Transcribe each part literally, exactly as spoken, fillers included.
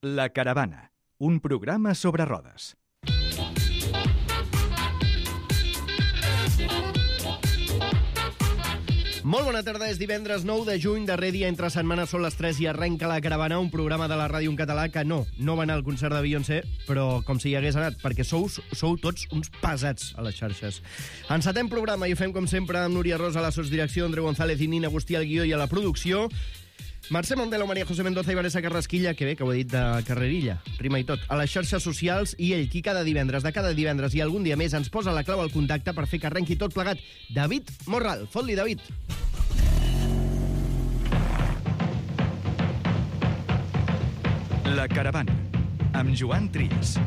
La Caravana, un programa sobre rodes. Molt bona tarda, és divendres nou de juny, darrer dia entre setmanes, són les tres i arrenca La Caravana, un programa de la ràdio en català que no, no va anar al concert de Beyoncé, però com si hi hagués anat, perquè sou, sou tots uns pesats a les xarxes. Encetem programa i ho fem com sempre amb Núria Rosa a la sotsdirecció, Andreu González i Nina Agustí al guió i a la producció, Mercè Mondelo, Maria José Mendoza i Vanessa Carrasquilla, que bé, que ho he dit de carrerilla, rima i tot, a les xarxes socials, i ell, qui cada divendres, de cada divendres i algun dia més ens posa la clau al contacte per fer que arrenqui tot plegat, David Morral. Fot-li, David. La Caravana, amb Joan Trias.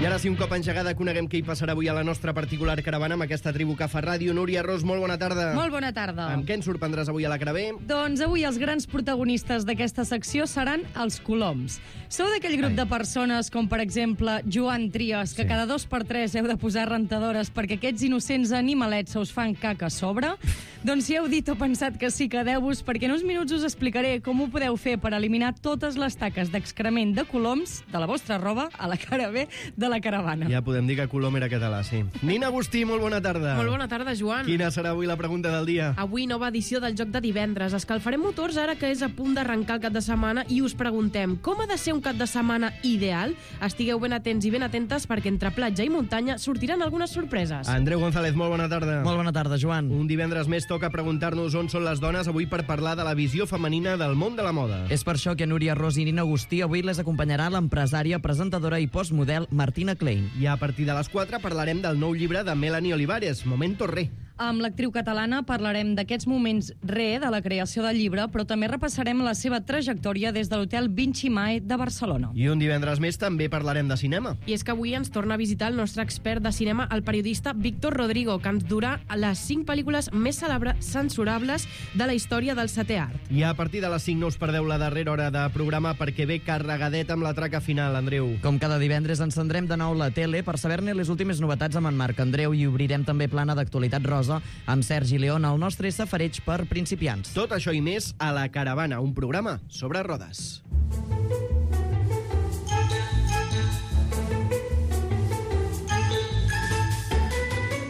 I ara sí, un cop engegada, coneguem què hi passarà avui a la nostra particular caravana amb aquesta tribu que fa ràdio. Núria Ros, molt bona tarda. Molt bona tarda. Amb què ens sorprendràs avui a la Caravé? Doncs avui els grans protagonistes d'aquesta secció seran els coloms. Sou d'aquell grup Ai. de persones com, per exemple, Joan Trias, que sí. cada dos per tres heu de posar rentadores perquè aquests innocents animalets se us fan caca a sobre? Doncs si heu dit o pensat que sí, quedeu-vos, perquè en uns minuts us explicaré com ho podeu fer per eliminar totes les taques d'excrement de coloms de la vostra roba a la Caravé de la Caravana. Ja podem dir que Colom era català, sí. Nina Agustí, molt bona tarda. Molt bona tarda, Joan. Quina serà avui la pregunta del dia? Avui nova edició del Joc de Divendres. Escalfarem motors ara que és a punt d'arrencar el cap de setmana i us preguntem com ha de ser un cap de setmana ideal? Estigueu ben atents i ben atentes perquè entre platja i muntanya sortiran algunes sorpreses. Andreu González, molt bona tarda. Molt bona tarda, Joan. Un divendres més toca preguntar-nos on són les dones avui per parlar de la visió femenina del món de la moda. És per això que Núria Ros i Nina Agustí avui les acompanyarà l'empresària, presentadora i postmodel Martina Klein. I a partir de les quatre parlarem del nou llibre de Melanie Olivares, Momento Re. Amb l'actriu catalana parlarem d'aquests moments re de la creació del llibre, però també repassarem la seva trajectòria des de l'hotel Vinci Mae de Barcelona. I un divendres més també parlarem de cinema. I és que avui ens torna a visitar el nostre expert de cinema, el periodista Víctor Rodrigo, que ens durà les cinc pel·lícules més cèlebres, censurables de la història del setè art. I a partir de les cinc no us perdeu la darrera hora de programa perquè ve carregadet amb la traca final, Andreu. Com cada divendres encendrem de nou la tele per saber-ne les últimes novetats amb en Marc Andreu i obrirem també plana d'actualitat rosa amb Sergi León, el nostre safareig per principiants. Tot això i més a La Caravana, un programa sobre rodes.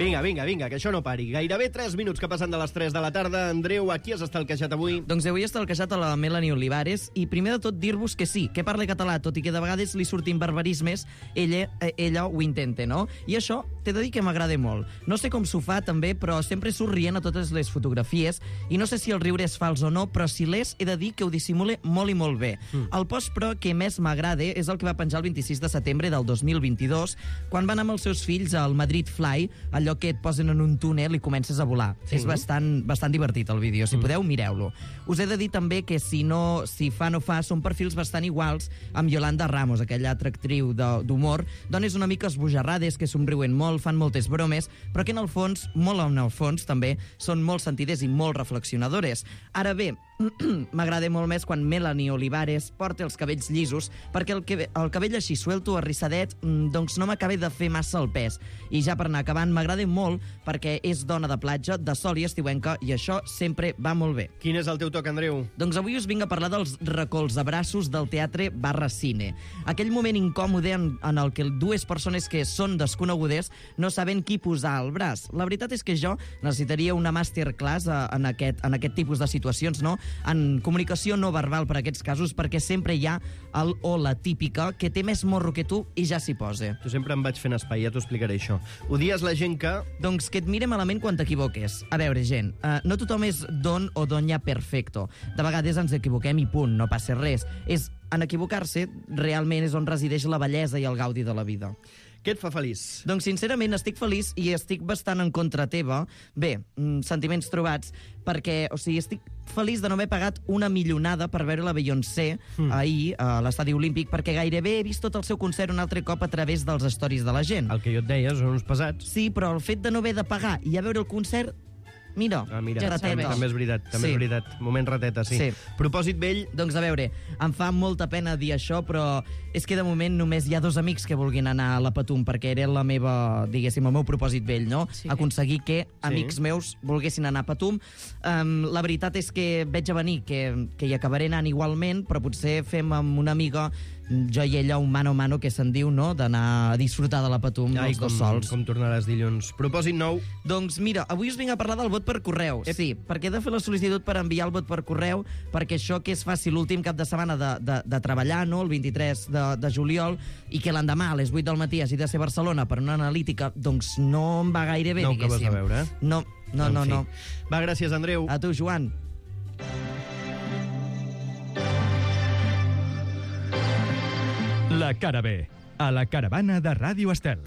Vinga, vinga, vinga, que això no pari. Gairebé tres minuts que passen de les tres de la tarda. Andreu, a qui has estalquejat avui? Doncs avui he estalquejat a la Melanie Olivares i primer de tot dir-vos que sí, que parla català, tot i que de vegades li surtin barbarismes, ella, ella ho intenta, no? I això t'he de dir que m'agrada molt. No sé com s'ho fa també, però sempre surt rient a totes les fotografies i no sé si el riure és fals o no, però si l'és he de dir que ho dissimula molt i molt bé. Mm. El post, però, que més m'agrada és el que va penjar el vint-i-sis de setembre del dos mil vint-i-dos, quan van amb els seus fills al Madrid Fly, allò que et posen en un túnel i comences a volar. Sí. És bastant, bastant divertit el vídeo. Si mm. podeu, mireu-lo. Us he de dir també que si no, si fa no fa, són perfils bastant iguals amb Yolanda Ramos, aquella altra actriu d'humor, dones una mica esbojarrades, que somriuen molt, fan moltes bromes, però que en el fons, molt en el fons, també, són molt sentides i molt reflexionadores. Ara bé, m'agrada molt més quan Melanie Olivares porta els cabells llisos, perquè el, que, el cabell així suelto, arrissadet, doncs no m'acaba de fer massa el pes. I ja per anar acabant, m'agrada molt perquè és dona de platja, de sol i estiuenca, i això sempre va molt bé. Quin és el teu toc, Andreu? Doncs avui us vinc a parlar dels recolzabraços del teatre barra cine. Aquell moment incòmode en, en el que dues persones que són desconegudes no saben qui posar al braç. La veritat és que jo necessitaria una masterclass en aquest, en aquest tipus de situacions, no? En comunicació no verbal per a aquests casos, perquè sempre hi ha el o la típica que té més morro que tu i ja s'hi posa. Tu sempre em vaig fent espai, ja t'ho explicaré això. Odies la gent que... Doncs que et mire malament quan t'equivoques. A veure, gent, uh, no tothom és don o doña perfecto. De vegades ens equivoquem i punt, no passa res. És, en equivocar-se, realment és on resideix la bellesa i el gaudi de la vida. Què et fa feliç? Doncs sincerament estic feliç i estic bastant en contra teva. Bé, sentiments trobats, perquè, o sigui, estic feliç de no haver pagat una milionada per veure la Beyoncé mm. ahir a l'estadi olímpic, perquè gairebé he vist tot el seu concert un altre cop a través dels stories de la gent. El que jo et deia, són uns pesats. Sí, però el fet de no haver de pagar i a veure el concert Mira, Ah, mira, ja també, rateta. també és veritat, també Sí. és veritat. Moment rateta, sí. Sí. Propòsit vell, Doncs a veure, em fa molta pena dir això, però és que de moment només hi ha dos amics que vulguin anar a la Patum, perquè era la meva, diguéssim, el meu propòsit vell, no? Sí. Aconseguir que amics meus volguessin anar a Patum. Um, la veritat és que veig a venir que, que hi acabaré anant igualment, però potser fem amb una amiga, jo i ella, un mano a mano, que se'n diu, no?, d'anar a disfrutar de la Patum ai, els com, dos sols. com tornaràs dilluns. Propòsit nou, Doncs mira, avui us vinc a parlar del vot per correu. Sí, perquè he de fer la sol·licitud per enviar el vot per correu, perquè això que es faci l'últim cap de setmana de, de, de treballar, no?, el vint-i-tres de, de juliol, i que l'endemà a les vuit del matí hagi de ser a Barcelona per una analítica, doncs no em va gaire bé, no ho acabes diguéssim. de veure, eh? No, no, En no, fi. no. Va, gràcies, Andreu. A tu, Joan. La cara B, a la caravana de Ràdio Estel.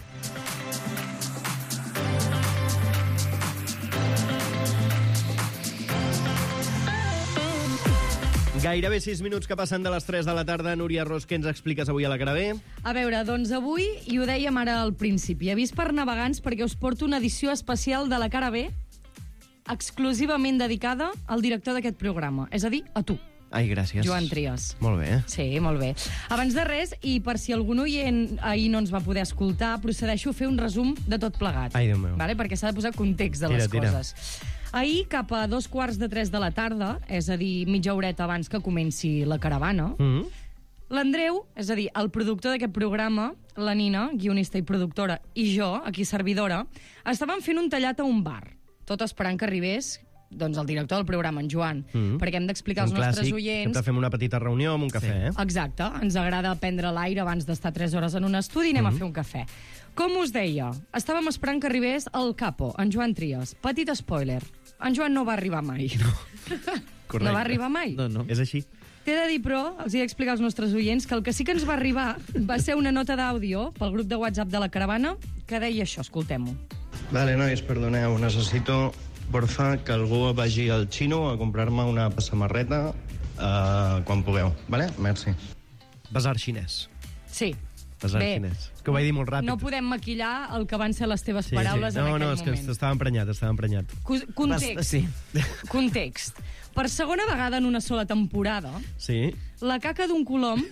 Gairebé sis minuts que passen de les tres de la tarda. Núria Ros, què ens expliques avui a la cara B? A veure, doncs avui, i ho dèiem ara al principi, avís per navegants perquè us porto una edició especial de la cara B exclusivament dedicada al director d'aquest programa, és a dir, a tu, Ai, gràcies. Joan Trias. Molt bé, eh? Sí, molt bé. Abans de res, i per si algun oient ahir no ens va poder escoltar, procedeixo a fer un resum de tot plegat. Ai, Déu meu. Vale? Perquè s'ha de posar context de Tira, les tira. coses. Ahir, cap a dos quarts de tres de la tarda, és a dir, mitja horeta abans que comenci la caravana, Mm. l'Andreu, és a dir, el productor d'aquest programa, la Nina, guionista i productora, i jo, aquí servidora, estàvem fent un tallat a un bar, tot esperant que arribés doncs, el director del programa, en Joan, Mm. perquè hem d'explicar als Un nostres clàssic. oients... Sempre fem una petita reunió amb un cafè, eh? Exacte, ens agrada prendre l'aire abans d'estar tres hores en un estudi i anem Mm-hmm. a fer un cafè. Com us deia, estàvem esperant que arribés el capo, en Joan Trias. Petit spoiler, en Joan no va arribar mai. No, Correcte. no va arribar mai. No, no. És així. T'he de dir, però, els he d'explicar als nostres oients que el que sí que ens va arribar va ser una nota d'àudio pel grup de WhatsApp de la caravana que deia això, escoltem-ho. Vale, nois, perdoneu, necessito, porfa, que algú vagi al xino a comprar-me una samarreta uh, quan pugueu, vale? Merci. Basar xinès. Sí. Basar Bé, xinès. És que ho vaig dir molt ràpid. no podem maquillar el que van ser les teves Sí, paraules sí. en No, aquell no, és que moment. estava emprenyat, estava emprenyat. Co- Context. Bast- Sí. Context. Per segona vegada en una sola temporada, Sí, la caca d'un colom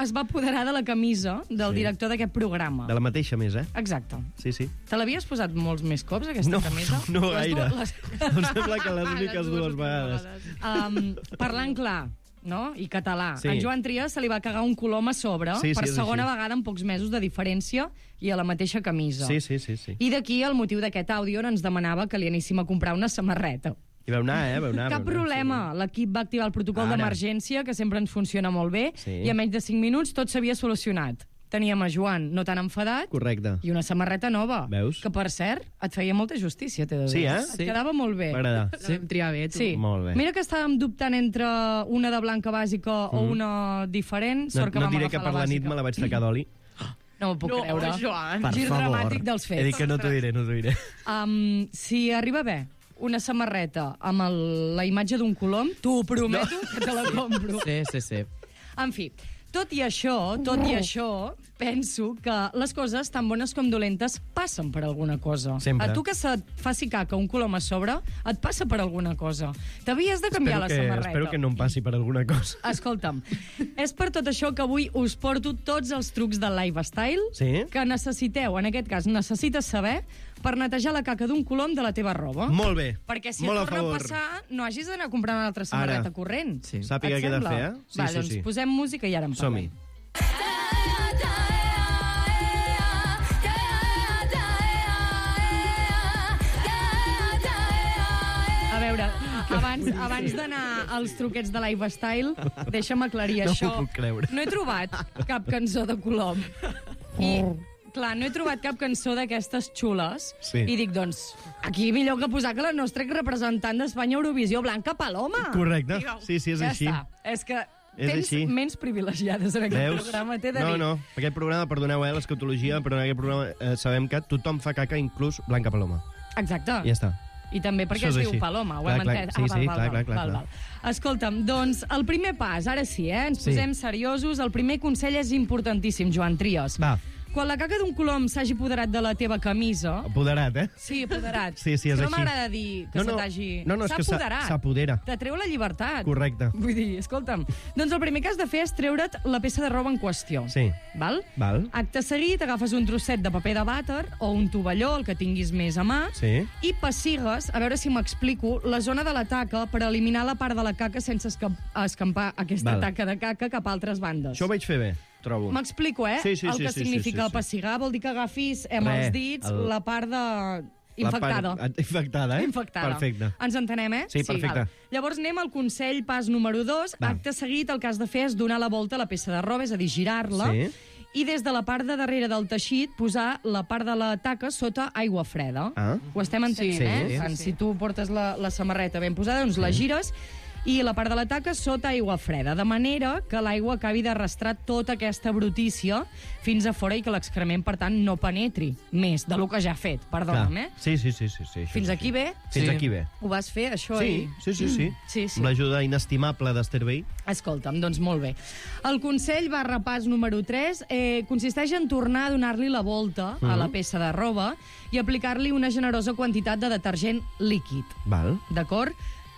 es va apoderar de la camisa del Sí. director d'aquest programa. de la mateixa més, eh? Exacte. Sí, sí. Te l'havies posat molts més cops, aquesta No, camisa? no Les gaire. dues- les- Em sembla que les úniques dues últimes vegades. Um, parlant clar, no? I català. Sí. En Joan Trias se li va cagar un colom a sobre Sí, sí, per és segona així. vegada en pocs mesos de diferència i a la mateixa camisa. Sí, sí, sí, sí. I d'aquí el motiu d'aquest àudio on ens demanava que li aníssim a comprar una samarreta. I vau anar, eh? Vau anar, Cap vau anar, problema. L'equip va activar el protocol Ara. d'emergència, que sempre ens funciona molt bé, Sí. i en menys de cinc minuts tot s'havia solucionat. Teníem a Joan no tan enfadat Sí. Correcte. i una samarreta nova. Veus? Que, per cert, et feia molta justícia, t'he de dir. Sí, eh? Et Sí. quedava molt bé. M'agrada. La vam triar bé, tu. Sí. Molt bé. Mira que estàvem dubtant entre una de blanca bàsica o una diferent. No, Sort que no vam diré que agafar per la nit bàsica. me la vaig tacar d'oli. No m'ho puc No, creure. Joan. Per Gir favor. dramàtic dels He dit fets. que no t'ho diré, no t'ho diré. Um, si arriba bé una samarreta amb el, la imatge d'un colom, t'ho prometo no. que te la compro. Sí, sí, sí. En fi, tot i això, tot i això, penso que les coses, tan bones com dolentes, passen per alguna cosa. Sempre. A tu que se't faci caca un colom a sobre, et passa per alguna cosa. T'havies de canviar Espero la que, samarreta. espero que no em passi per alguna cosa. Escolta'm, és per tot això que avui us porto tots els trucs del lifestyle Sí? que necessiteu, en aquest cas, necessites saber per netejar la caca d'un colom de la teva roba. Molt bé. Perquè si Molt et a torna a favor. passar, no hagis d'anar a comprar una altra samarreta Ara. corrent. Sí. Sàpiga Et què he de sembla? fer, eh? Sí, Va, sí, doncs sí. posem música i ara en Som-hi. parlem. A veure, abans, abans d'anar als truquets de lifestyle, deixa'm aclarir No això. m'ho puc creure. No he trobat cap cançó de Colom. I, clar, no he trobat cap cançó d'aquestes xules. Sí. I dic, doncs, aquí millor que posar que la nostra representant d'Espanya a Eurovisió, Blanca Paloma. Correcte. Sí, sí, és ja així. està. És que És tens així. menys privilegiades en aquest Veus? programa, t'he de No, dir. no. Aquest programa, perdoneu, eh, l'escatologia, però en aquest programa eh, sabem que tothom fa caca, inclús Blanca Paloma. Exacte. I ja està. I també perquè Això es és diu així. Paloma, ho Clar, hem clar, entès. sí, ah, val, sí, val, clar, val, clar, clar, val, clar. val. Escolta'm, doncs el primer pas, ara sí, eh? Ens Sí. posem seriosos. El primer consell és importantíssim, Joan Trias. Va. Quan la caca d'un colom s'hagi apoderat de la teva camisa... Apoderat, eh? Sí, apoderat. Sí, sí, és no així. m'agrada dir que No, no. se t'hagi... No, no, és que s'ha- apoderat. s'apodera. Te treu la llibertat. Correcte. Vull dir, escolta'm, doncs el primer que has de fer és treure't la peça de roba en qüestió. Sí. Val? Val. Acte seguit, agafes un trosset de paper de vàter o un tovalló, el que tinguis més a mà, Sí. i pessigues, a veure si m'explico, la zona de la taca per eliminar la part de la caca sense escamp escampar aquesta Val. taca de caca cap a altres bandes. Això ho vaig fer bé, trobo. M'explico, eh? Sí, sí, el sí, que sí, significa sí, sí, sí. pessigar vol dir que agafis amb Res, els dits el- la part de... La infectada. part- Infectada, eh? Infectada. Perfecte. Ens entenem, eh? Sí, perfecte. val. Llavors anem al consell pas número dos. Va. Acte seguit, el que has de fer és donar la volta a la peça de roba, és a dir, girar-la, Sí. i des de la part de darrere del teixit posar la part de la taca sota aigua freda. Ah. Ho estem entenent, Sí. eh? Sí, Tant, si tu portes la, la samarreta ben posada, doncs la gires i la part de la taca sota aigua freda, de manera que l'aigua acabi d'arrastrar tota aquesta brutícia fins a fora i que l'excrement, per tant, no penetri més de lo que ja ha fet. Perdona'm, eh? Sí, sí, sí, sí, sí. això Fins és aquí així. bé? Fins Sí. aquí bé. Ho vas fer, això? Sí, i... sí, sí, sí. Sí, sí. Amb l'ajuda inestimable d'Esther Bay. Escolta'm, doncs molt bé. El consell barra pas número tres eh, consisteix en tornar a donar-li la volta a la peça de roba i aplicar-li una generosa quantitat de detergent líquid. Val. D'acord?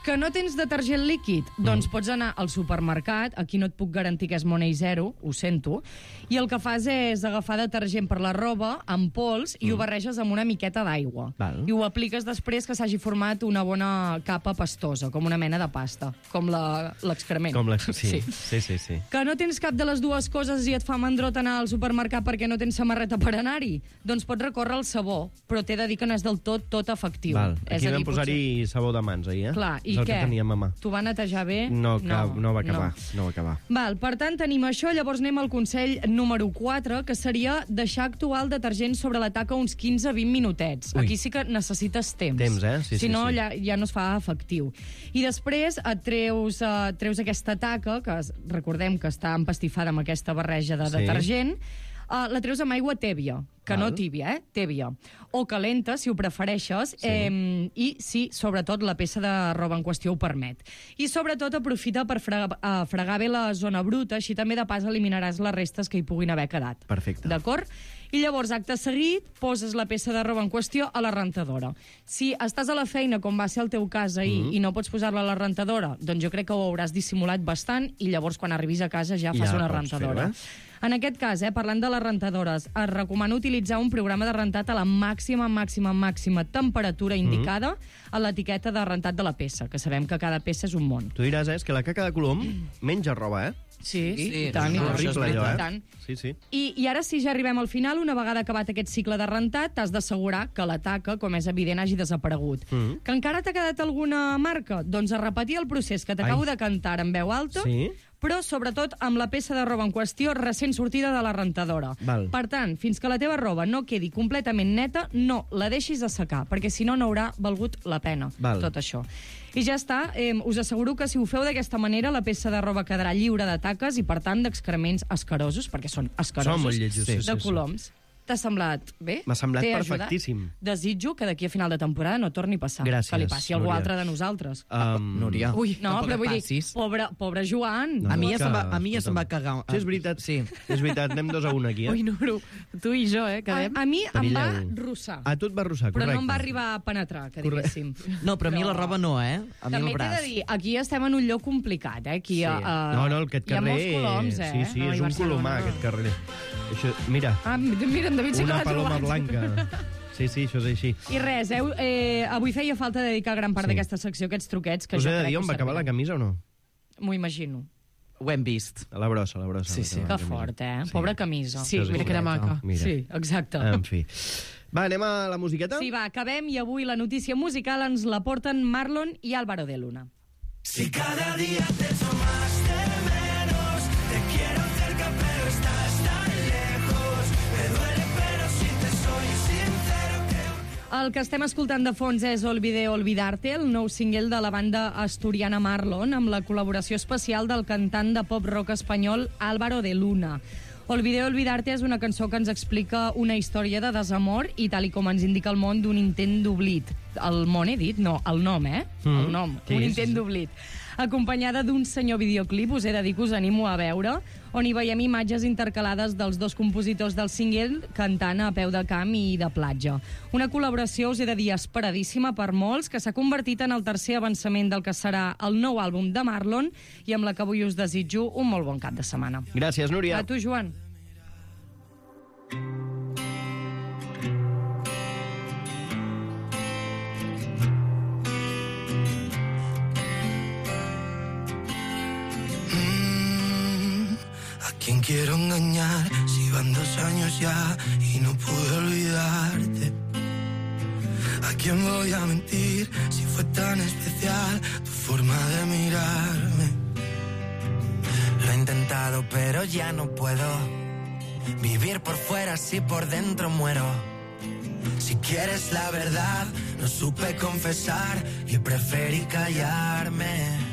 Que no tens detergent líquid? Doncs pots anar al supermercat, aquí no et puc garantir que és money zero, ho sento, i el que fas és agafar detergent per la roba amb pols i ho barreges amb una miqueta d'aigua. Val. I ho apliques després que s'hagi format una bona capa pastosa, com una mena de pasta, com la- l'excrement. Com la... Sí, Sí. sí, sí, sí. Que no tens cap de les dues coses i et fa mandrot anar al supermercat perquè no tens samarreta per anar-hi? Doncs pots recórrer al sabó, però t'he de dir que no és del tot tot efectiu. Val. És Aquí a dir, vam posar-hi sabó de mans, ahir, eh? Clar, i és el què? que teníem a mà. T'ho va netejar bé? No, cap, no, no va acabar, no. no va acabar. Val, per tant, tenim això. Llavors anem al consell número quatre, que seria deixar actuar el detergent sobre la taca uns quinze a vint minutets. Ui. Aquí sí que necessites temps. Temps, eh? Sí, si sí, no, sí. ja, ja no es fa efectiu. I després et treus, uh, treus aquesta taca, que es- recordem que està empastifada amb aquesta barreja de Sí. detergent, uh, la treus amb aigua tèbia, que Val. no tèbia, eh? Tèbia. O calenta, si ho prefereixes, sí. eh, i si, sobretot, la peça de roba en qüestió ho permet. I, sobretot, aprofita per fregar, uh, fregar bé la zona bruta, així també, de pas, eliminaràs les restes que hi puguin haver quedat. Perfecte. D'acord? I llavors, acte seguit, poses la peça de roba en qüestió a la rentadora. Si estàs a la feina, com va ser el teu cas ahir, mm -hmm. i no pots posar-la a la rentadora, doncs jo crec que ho hauràs dissimulat bastant i llavors, quan arribis a casa, ja fas Ja una pots rentadora. fer-ho, eh? En aquest cas, eh, parlant de les rentadores, es recomana utilitzar un programa de rentat a la màxima, màxima, màxima temperatura indicada mm -hmm. a l'etiqueta de rentat de la peça, que sabem que cada peça és un món. Tu diràs, eh, és que la caca de colom menja roba, eh? Sí, Sí, i tant, i no, tant, això és horrible, allò, i eh? tant. Sí, sí. I, I ara sí, ja arribem al final. Una vegada acabat aquest cicle de rentat, t'has d'assegurar que la taca, com és evident, hagi desaparegut. Mhm. Que encara t'ha quedat alguna marca? Doncs a repetir el procés que t'acabo Ai. de cantar en veu alta, Sí. però sobretot amb la peça de roba en qüestió recent sortida de la rentadora. Val. Per tant, fins que la teva roba no quedi completament neta, no la deixis assecar, perquè si no, no haurà valgut la pena Val. tot això. I ja està, eh, us asseguro que si ho feu d'aquesta manera, la peça de roba quedarà lliure de taques i, per tant, d'excrements escarosos, perquè són escarosos, Són molt lletjos, sí, de sí, sí. coloms. T'ha semblat bé? M'ha semblat T'he ajudat? perfectíssim. Desitjo que d'aquí a final de temporada no torni a passar. Gràcies, Que li passi a algú Núria. altre de nosaltres. Um, Núria. Ui, no, tampoc però et vull dir, passis. pobre, pobre Joan. No. A mi ja que- se'm va, a mi ja se'm va escolta'm. cagar. Sí, és veritat. Sí. És veritat, anem dos a un aquí, eh? Ui, Nuro, tu i jo, eh, A, quedem. a mi em va Perilleu. rossar, A tu et va rossar, però correcte. no em va arribar a penetrar, que Correcte. diguéssim. No, però a mi la roba no, eh? A mi També el t'he braç. de dir, aquí estem en un lloc complicat, eh? Aquí, Sí. a, a, No, no, aquest hi ha carrer... molts coloms, eh? Sí, sí, No, és i un Barcelona. colomar, aquest carrer. Això, mira, Ah, mira, en David sí que una l'ha paloma trobat. blanca. Sí, sí, això és així. I res, eh, eh, avui feia falta dedicar gran part Sí. d'aquesta secció a aquests truquets que Us jo he de crec dir que on us va acabar la serviran. camisa o no? M'ho imagino. Ho hem vist. A la brossa, a la brossa. Sí, va sí. acabar Que la camisa. fort, eh? Sí. Pobra camisa. Sí, Això és mira que era així. maca. Mira. Sí, exacte. En fi. Va, anem a la musiqueta? Sí, va, acabem i avui la notícia musical ens la porten Marlon i Álvaro de Luna. Si cada día te echo más de menos, te quiero cerca pero estás tan lejos, me duele pero si te soy sincero creo. El que estem escoltant de fons és Olvidé Olvidarte, el nou single de la banda asturiana Marlon, amb la col·laboració especial del cantant de pop-rock espanyol Álvaro de Luna. Olvidé Olvidarte és una cançó que ens explica una història de desamor i, tal i com ens indica el món, d'un intent d'oblit. el món he dit? No, el nom, eh? Mm. El nom, Sí, un sí, intent sí. d'oblit. Acompanyada d'un senyor videoclip, us he de dir que us animo a veure, on hi veiem imatges intercalades dels dos compositors del single cantant a peu de camp i de platja. Una col·laboració, us he de dir, esperadíssima per molts, que s'ha convertit en el tercer avançament del que serà el nou àlbum de Marlon i amb la que avui us desitjo un molt bon cap de setmana. Gràcies, Núria. A tu, Joan. ¿Quién quiero engañar si van dos años ya y no pude olvidarte? ¿A quién voy a mentir si fue tan especial tu forma de mirarme? Lo he intentado pero ya no puedo vivir por fuera si por dentro muero. Si quieres la verdad, no supe confesar y preferí callarme.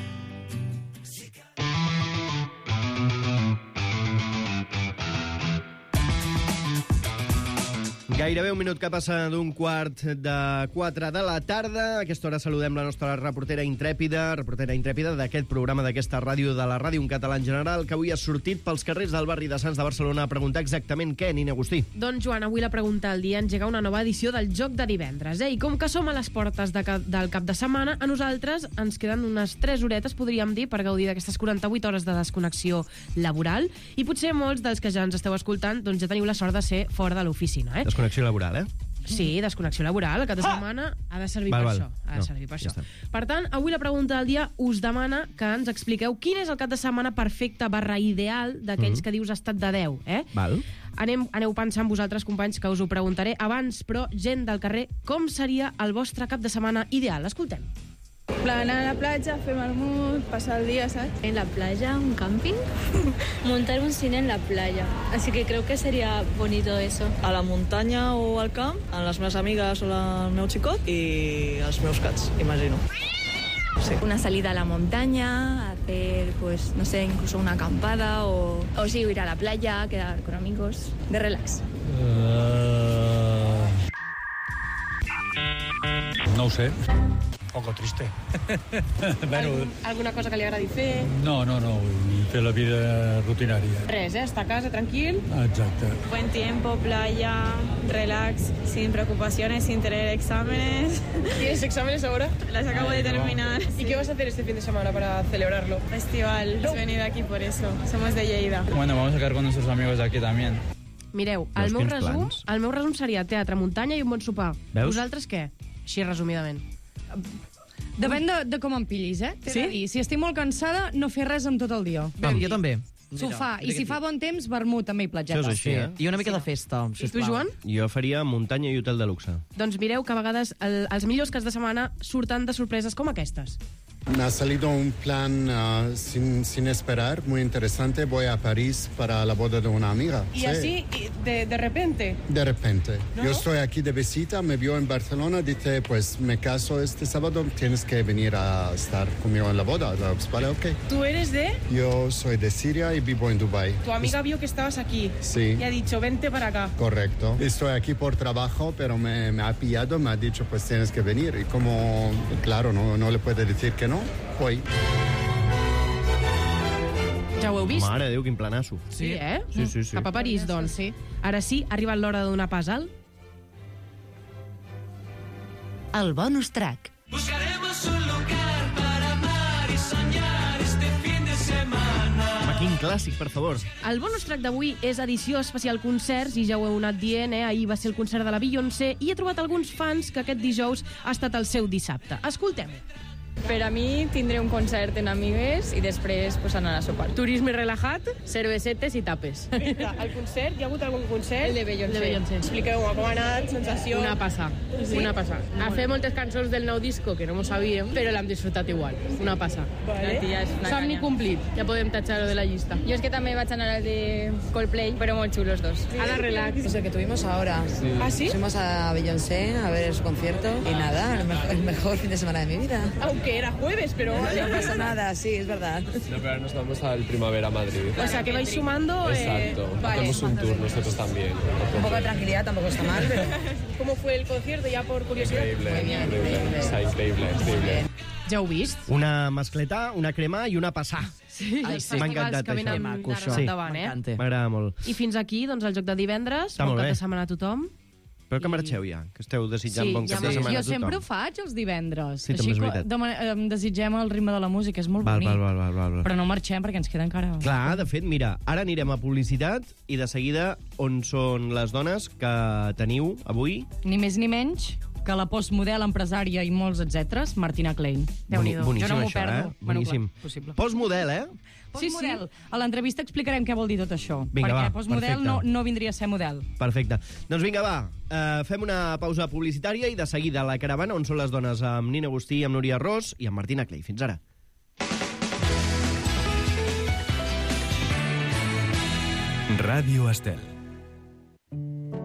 Gairebé un minut que passa d'un quart de quatre de la tarda. A aquesta hora saludem la nostra reportera intrèpida, reportera intrèpida d'aquest programa, d'aquesta ràdio, de la ràdio en català en general, que avui ha sortit pels carrers del barri de Sants de Barcelona a preguntar exactament què, Nina Agustí. Doncs, Joan, avui la pregunta del dia engega una nova edició del Joc de Divendres. Eh? I com que som a les portes de cap, del cap de setmana, a nosaltres ens queden unes tres horetes, podríem dir, per gaudir d'aquestes quaranta-vuit hores de desconnexió laboral. I potser molts dels que ja ens esteu escoltant doncs ja teniu la sort de ser fora de l'oficina. Eh? Desconnexió laboral, eh? Sí, desconnexió laboral. El cap de setmana ha de servir Val, per val. això. Ha de No, servir per ja això. està. Per tant, avui la pregunta del dia us demana que ens expliqueu quin és el cap de setmana perfecte barra ideal d'aquells Mhm. que dius estat de deu. Eh? Val. Anem, aneu pensant vosaltres, companys, que us ho preguntaré abans, però gent del carrer, com seria el vostre cap de setmana ideal? Escoltem. Plan, a la platja, fer vermut, passar el día, ¿sabes? En la playa, un camping, montar un cine en la playa. Así que creo que sería bonito eso. A la muntanya o al camp, amb les meves amigues o el meu xicot i els meus cats, imagino. Sí. Una salida a la montaña, hacer, pues, no sé, incluso una acampada o, o sí, ir a la playa, quedar con amigos, de relax. Uh... No ho sé. Un poco triste. bueno, Algun, alguna cosa que li agradi fer? no, no, no. Fer la vida rutinària. Res, eh? Estar a casa, tranquil. Exacte. Buen tiempo, playa, relax, sin preocupaciones, sin tener exámenes. ¿Tienes exámenes ahora? Las acabo de terminar. ¿Y qué vas a hacer este fin de semana para celebrarlo? Festival, has venido aquí por eso. Somos de Lleida. Bueno, vamos a quedar con nuestros amigos de aquí también. Mireu, el Veus meu, quins resum, plans? el meu resum seria teatre, muntanya i un bon sopar. Veus? Vosaltres què? Així resumidament. Depèn de, de com em pillis, eh? T'he Sí? de dir, si estic molt cansada, no fer res en tot el dia. Bé, jo també. Sofà. I si fa bon temps, vermut també i platgeta. Això és així, eh? I una mica de festa, I tu, sisplau. Joan? Jo faria muntanya i hotel de luxe. Doncs mireu que a vegades el, els millors caps de setmana surten de sorpreses com aquestes. Me ha salido un plan uh, sin, sin esperar, muy interesante. Voy a París para la boda de una amiga. Y Sí. así, de, de repente. De repente. ¿No? Yo estoy aquí de visita, me vio en Barcelona, dice, pues me caso este sábado, tienes que venir a estar conmigo en la boda. Pues, vale, ok. ¿Tú eres de? Yo soy de Siria y vivo en Dubái. Tu amiga vio que estabas aquí. Sí. Y ha dicho, vente para acá. Correcto. Estoy aquí por trabajo, pero me, me ha pillado, me ha dicho, pues tienes que venir. Y como, claro, no, no le puede decir que no, voy. Ja ho heu vist? Mare de Déu, quin planasso. Sí, eh? Sí, sí, sí. Cap a París, doncs. Sí. Ara sí, ha arribat l'hora de donar pas al... El bonus track. Buscaremos un lugar para amar y soñar este fin de semana. Home, quin clàssic, per favor. El bonus track d'avui és edició especial concerts, i ja ho heu anat dient, eh? Ahir va ser el concert de la Beyoncé, i he trobat alguns fans que aquest dijous ha estat el seu dissabte. Escoltem. Per a mi tindré un concert en amigues i després pues, anar a sopar. Turisme relajat, cervesetes i tapes. El concert, hi ha hagut algun concert? El de Beyoncé. El de Beyoncé. Expliqueu-me com ha anat, sensació... Una passa, Sí? una passa. Ha fet moltes cançons del nou disco que no m'ho sabíem, però l'hem disfrutat igual. Una passa. Vale. La tia és una Somni canya. complit. Ja podem tatxar-ho de la llista. Jo és que també vaig anar al de Coldplay, però molt xulos dos. Ana, relax. Es el que tuvimos ahora. Sí. ¿Ah, sí? Fuimos a Beyoncé a ver su concierto y nada, el mejor, el mejor fin de semana de mi vida. Oh, que era jueves, pero... No pasa nada, sí, es verdad. No, pero ahora nos vamos al Primavera Madrid. O sea, que vais sumando... Exacto, eh, vale. hacemos un tour nosotros también. Un poco de tranquilidad tampoco está mal, pero... ¿Cómo fue el concierto, ya por curiosidad? Increíble, Muy bien, increíble. increíble. O sea, increíble, increíble. Ja heu vist? Una mascleta, una crema i una passà. Sí, Ai, els sí. M'ha festivals encantat, que venen això. d'ara Maco, això. endavant, eh? Sí, m'agrada molt. I fins aquí, doncs, el joc de divendres. Està Bon molt cap bé. de setmana a tothom. Però que marxeu ja, que esteu desitjant bon cap de setmana Jo a tothom. sempre ho faig, els divendres. Sí, també és Així veritat. que demana- em desitgem el ritme de la música, és molt Val, bonic. val, val, val, val, val. Però no marxem perquè ens queda encara... Clar, de fet, mira, ara anirem a publicitat i de seguida on són les dones que teniu avui. Ni més ni menys que la postmodel, empresària i molts etcèteres, Martina Klein. Déu-n'hi-do. Boníssim, Jo no m'ho això, perdo. eh? Boníssim. Bueno, clar, possible. Postmodel, eh? Sí, sí. A l'entrevista explicarem què vol dir tot això. Vinga, perquè va, postmodel perfecte. no, no vindria a ser model. Perfecte. Doncs vinga, va, uh, fem una pausa publicitària i de seguida a la caravana on són les dones amb Nina Agustí, amb Núria Ros i amb Martina Clay. Fins ara. Ràdio Estel.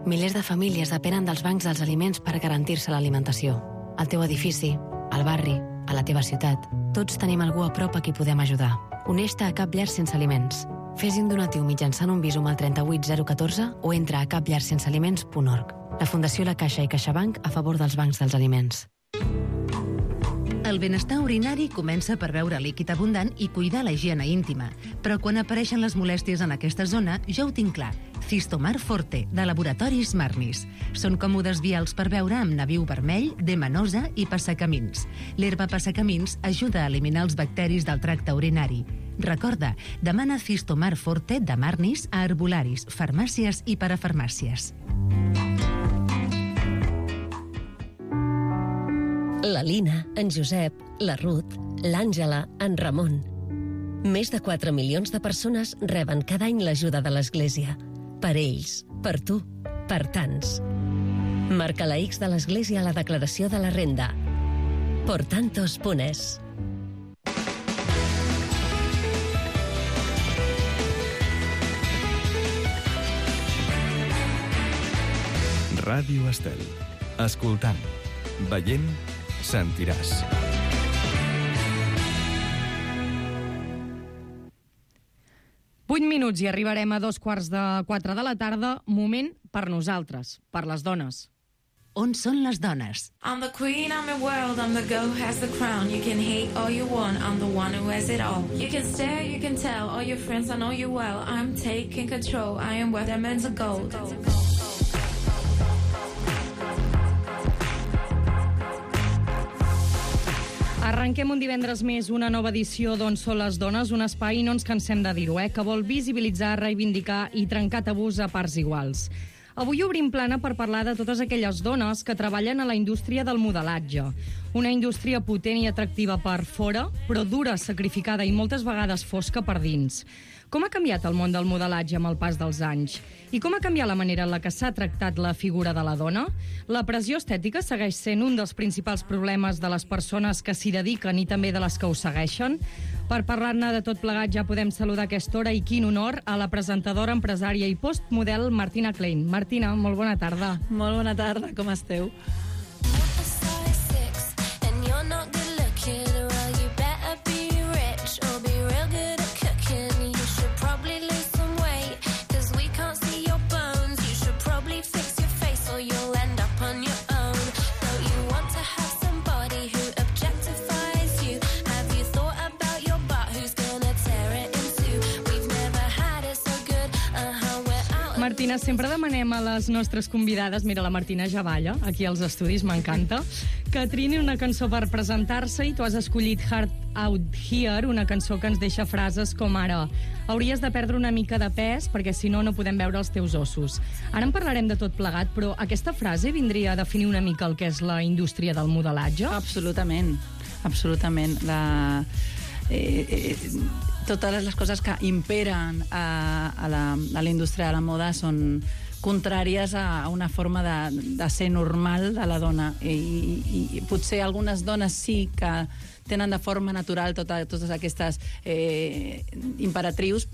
Milers de famílies depenen dels bancs dels aliments per garantir-se l'alimentació. Al teu edifici, al barri, a la teva ciutat, tots tenim algú a prop a qui podem ajudar. Uneix-te a Cap Llar Sense Aliments. Fes un donatiu mitjançant un visum al trenta-vuit zero catorze o entra a cap llar sense aliments punt org. La Fundació La Caixa i CaixaBank a favor dels bancs dels aliments. El benestar urinari comença per beure líquid abundant i cuidar la higiene íntima. Però quan apareixen les molèsties en aquesta zona, ja ho tinc clar. Cistomar Forte, de Laboratoris Marnis. Són còmodes vials per beure amb nabiu vermell, demanosa i passacamins. L'herba passacamins ajuda a eliminar els bacteris del tracte urinari. Recorda, demana Cistomar Forte de Marnis a herbolaris, farmàcies i parafarmàcies. La Lina, en Josep, la Ruth, l'Àngela, en Ramon. Més de quatre milions de persones reben cada any l'ajuda de l'Església. Per ells, per tu, per tants. Marca la X de l'Església a la declaració de la renda. Por tantos punt es. Ràdio Estel. Escoltant, veient, sentiràs. Vuit minuts i arribarem a dos quarts de quatre de la tarda. Moment per nosaltres, per les dones. On són les dones? I'm the queen, I'm the world, I'm the girl who has the crown. You can hate all you want, I'm the one who has it all. You can stare, you can tell, all your friends, I know you well. I'm taking control, I am worth diamonds of gold. Arrenquem un divendres més una nova edició d'On són les dones, un espai, no ens cansem de dir-ho, eh, que vol visibilitzar, reivindicar i trencar tabús a parts iguals. Avui obrim plana per parlar de totes aquelles dones que treballen a la indústria del modelatge. Una indústria potent i atractiva per fora, però dura, sacrificada i moltes vegades fosca per dins. Com ha canviat el món del modelatge amb el pas dels anys? I com ha canviat la manera en la que s'ha tractat la figura de la dona? La pressió estètica segueix sent un dels principals problemes de les persones que s'hi dediquen i també de les que ho segueixen? Per parlar-ne de tot plegat ja podem saludar a aquesta hora, i quin honor, a la presentadora, empresària i postmodel Martina Klein. Martina, molt bona tarda. Molt bona tarda, com esteu? Martina, sempre demanem a les nostres convidades, mira, la Martina ja balla, aquí als estudis, m'encanta, que trini una cançó per presentar-se, i tu has escollit Heart Out Here, una cançó que ens deixa frases com ara: hauries de perdre una mica de pes perquè si no no podem veure els teus ossos. Ara en parlarem de tot plegat, però aquesta frase vindria a definir una mica el que és la indústria del modelatge? Absolutament, absolutament. La... Eh, eh, totes les coses que imperen a, a, la, a la indústria de la moda són contràries a una forma de, de ser normal de la dona. I, i, i potser algunes dones sí que tenen de forma natural tota, totes aquestes eh, imperatrius,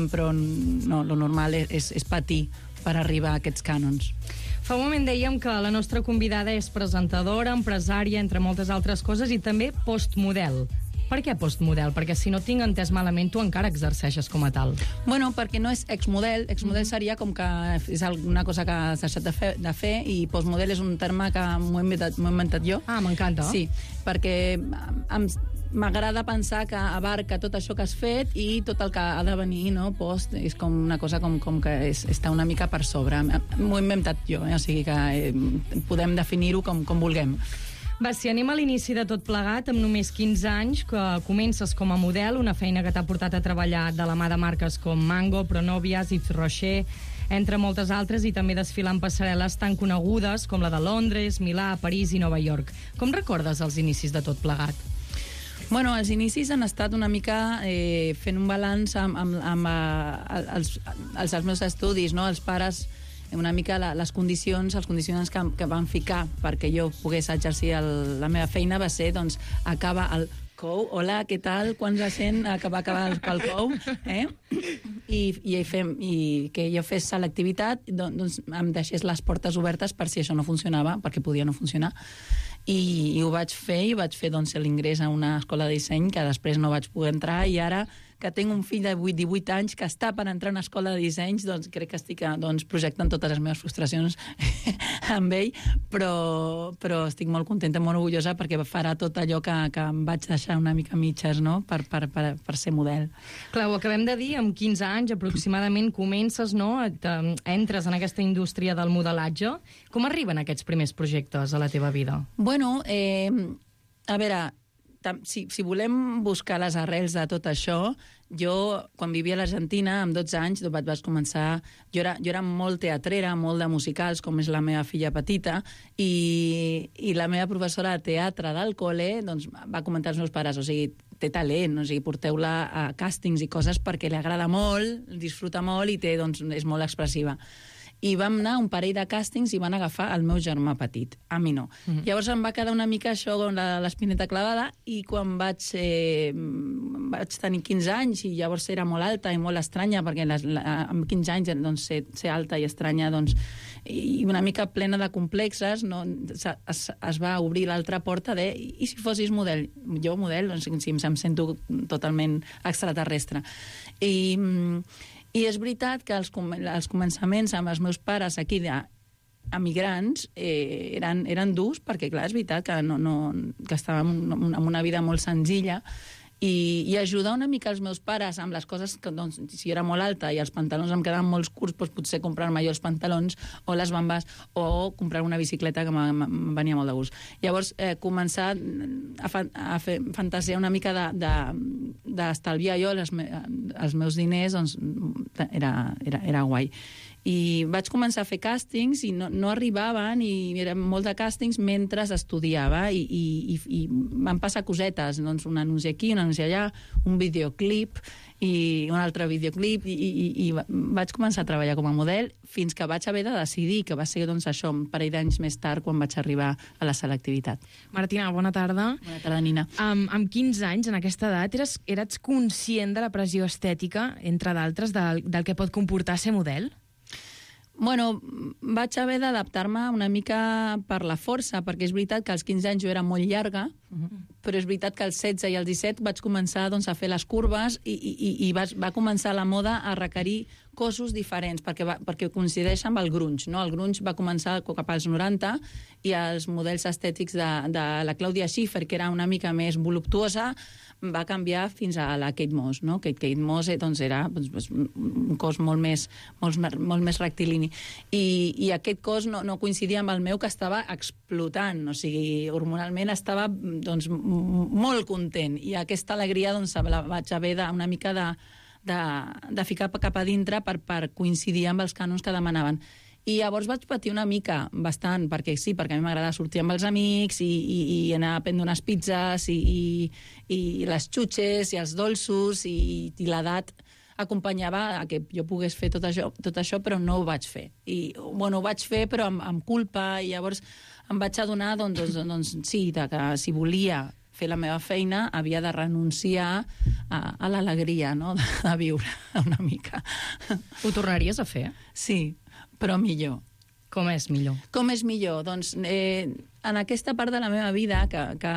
però no, lo normal és, és patir per arribar a aquests cànons. Fa un moment dèiem que la nostra convidada és presentadora, empresària, entre moltes altres coses, i també postmodel. Per què postmodel? Perquè si no tinc entès malament, tu encara exerceixes com a tal. Bueno, perquè no és exmodel. Exmodel seria com que és alguna cosa que has deixat de fer, de fer i postmodel és un terme que m'ho he inventat, m'ho he inventat jo. Ah, m'encanta. Sí, perquè em, m'agrada pensar que abarca tot això que has fet i tot el que ha de venir, no? Post, és com una cosa com, com que és, està una mica per sobre. M'ho he inventat jo, eh? O sigui que eh, podem definir-ho com, com vulguem. Va, si anem a l'inici de tot plegat, amb només quinze anys, que comences com a model, una feina que t'ha portat a treballar de la mà de marques com Mango, Pronovias, Yves Rocher, entre moltes altres, i també desfilant passarel·les tan conegudes com la de Londres, Milà, París i Nova York. Com recordes els inicis de tot plegat? Bueno, els inicis han estat una mica eh, fent un balanç amb, amb, amb eh, els, els, els meus estudis, no? Els pares, una mica la, les condicions, els condicionants que, que van ficar perquè jo pogués exercir el, la meva feina va ser, doncs, acaba el C O U, hola, què tal, quan la gent va acabar el, el C O U, eh? I, i, fem, i que jo fes selectivitat, doncs em deixés les portes obertes per si això no funcionava, perquè podia no funcionar. I, i ho vaig fer, i vaig fer doncs, l'ingrés a una escola de disseny que després no vaig poder entrar, i ara que tinc un fill de divuit anys que està per entrar a una escola de dissenys, doncs crec que estic doncs, projectant totes les meves frustracions amb ell, però, però estic molt contenta, molt orgullosa, perquè farà tot allò que, que em vaig deixar una mica mitges, no?, per, per, per, per ser model. Clar, ho acabem de dir, amb quinze anys aproximadament comences, no?, et, entres en aquesta indústria del modelatge. Com arriben aquests primers projectes a la teva vida? Bueno, eh, a veure, Si, si volem buscar les arrels de tot això, jo, quan vivia a l'Argentina, amb dotze anys, vaig, vaig començar... Jo era, jo era molt teatrera, molt de musicals, com és la meva filla petita, i, i la meva professora de teatre del col·le doncs, va comentar als meus pares, o sigui, té talent, o sigui, porteu-la a càstings i coses perquè li agrada molt, disfruta molt i té, doncs, és molt expressiva. I vam anar a un parell de càstings i van agafar el meu germà petit, a mi no. Mm-hmm. Llavors em va quedar una mica això com l'espineta clavada, i quan vaig, eh, vaig tenir quinze anys, i llavors era molt alta i molt estranya, perquè les, la, amb quinze anys doncs, ser, ser alta i estranya, doncs, i una mica plena de complexes, no, es, es va obrir l'altra porta de i si fossis model? Jo model, doncs, si em sento totalment extraterrestre. I... I és veritat que els, com els començaments amb els meus pares aquí d'emigrants eh, eren, eren durs, perquè clar, és veritat que, no, no, que estàvem en una vida molt senzilla, i, i ajudar una mica els meus pares amb les coses que, doncs, si era molt alta i els pantalons em quedaven molt curts, doncs potser comprar-me jo els pantalons o les bambes, o comprar una bicicleta, que em venia molt de gust. Llavors, eh, començar a, fa, a fer fantasia una mica d'estalviar de, de, jo les, me, els meus diners, doncs era, era, era guai. I vaig començar a fer càstings i no, no arribaven, i eren molt de càstings mentre estudiava, i, i, i van passar cosetes, doncs un anunci aquí, un anunci allà, un videoclip i un altre videoclip, i, i, i vaig començar a treballar com a model fins que vaig haver de decidir, que va ser doncs, això, un parell d'anys més tard, quan vaig arribar a la selectivitat. Martina, bona tarda. Bona tarda, Nina. Um, amb quinze anys, en aquesta edat, eres, eres conscient de la pressió estètica, entre d'altres, del, del que pot comportar ser model? Bueno, vaig haver d'adaptar-me una mica per la força, perquè és veritat que als quinze anys jo era molt llarga, uh-huh. però és veritat que als setze i als disset vaig començar doncs, a fer les curves, i, i, i va, va començar la moda a requerir cossos diferents, perquè, va, perquè coincideix amb el grunge, no? El grunge va començar cap als noranta, i els models estètics de, de la Claudia Schiffer, que era una mica més voluptuosa, va canviar fins a la Kate Moss, no? Kate, Kate Moss doncs, era doncs, un cos molt més, molt, molt més rectilini. I, i aquest cos no, no coincidia amb el meu, que estava explotant, o sigui, hormonalment estava doncs, molt content, i aquesta alegria doncs, la vaig haver de, una mica de, de, de ficar cap a dintre per, per coincidir amb els cànons que demanaven. I llavors vaig patir una mica, bastant, perquè sí, perquè a mi m'agrada sortir amb els amics i, i, i anar a prendre unes pizzas i, i, i les xutxes i els dolços, i, i l'edat acompanyava a que jo pogués fer tot això, tot això, però no ho vaig fer. I, bueno, ho vaig fer, però amb, amb culpa, i llavors em vaig adonar, doncs, doncs, doncs sí, de que si volia fer la meva feina havia de renunciar a, a l'alegria, no?, de, de viure una mica. Ho tornaries a fer? Sí, però millor. Com és millor? Com és millor? Doncs eh, en aquesta part de la meva vida que, que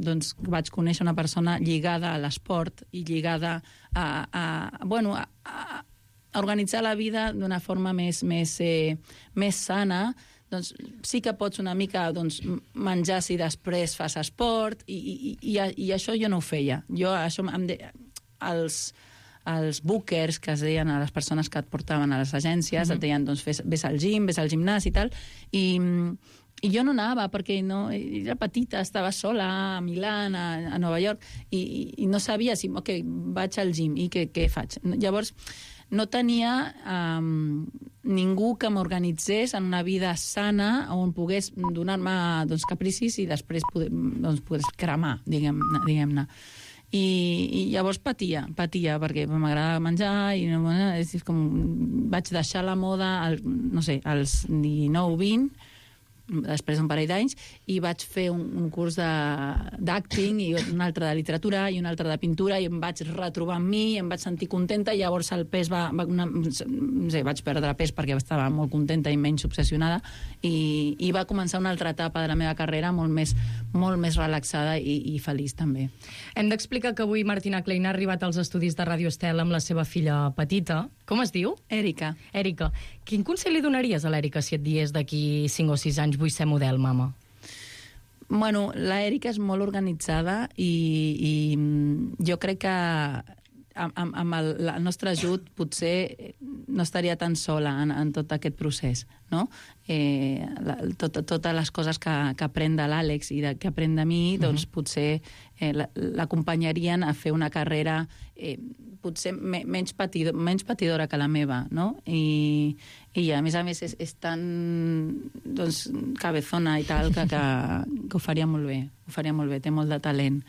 doncs, vaig conèixer una persona lligada a l'esport i lligada a, a, bueno, a, a organitzar la vida d'una forma més, més, eh, més sana, doncs sí que pots una mica doncs, menjar si després fas esport i, i, i, i això jo no ho feia. Jo això em de... els els bookers que es deien a les persones que et portaven a les agències, mm-hmm. et deien, doncs, vés, vés al gym, vés al gimnàs i tal, i, i jo no anava perquè no, era petita, estava sola a Milà, a, a Nova York, i, i no sabia si, ok, vaig al gym, i què, què faig? Llavors, no tenia um, ningú que m'organitzés en una vida sana on pogués donar-me doncs, capricis i després poder, doncs, poder cremar, diguem-ne. Diguem-ne. I, i llavors patia, patia, perquè m'agradava menjar i bueno, és com vaig deixar la moda al, no sé, als dinou vint, després d'un parell d'anys, i vaig fer un, un curs d'acting i un altre de literatura i un altre de pintura i em vaig retrobar amb mi, em vaig sentir contenta i llavors el pes va... va una, no sé, vaig perdre pes perquè estava molt contenta i menys obsessionada i, i va començar una altra etapa de la meva carrera molt més, molt més relaxada i, i feliç també. Hem d'explicar que avui Martina Klein ha arribat als estudis de Radio Estel amb la seva filla petita. Com es diu? Èrica. Èrica. Quin consell li donaries a l'Èrica si et diés d'aquí cinc o sis anys vull ser model, mama? Bueno, l'Èrica és molt organitzada i, i jo crec que amb, amb el, el nostre ajut potser no estaria tan sola en, en tot aquest procés, no? Eh, la, tot, totes les coses que, que aprèn de l'Àlex i de, que aprèn de mi, doncs potser eh, l'acompanyarien a fer una carrera eh, potser me, menys, patidor, menys patidora que la meva, no? I, i a més a més és, és tan doncs, cabezona i tal que, que, que ho faria molt bé, ho faria molt bé, té molt de talent.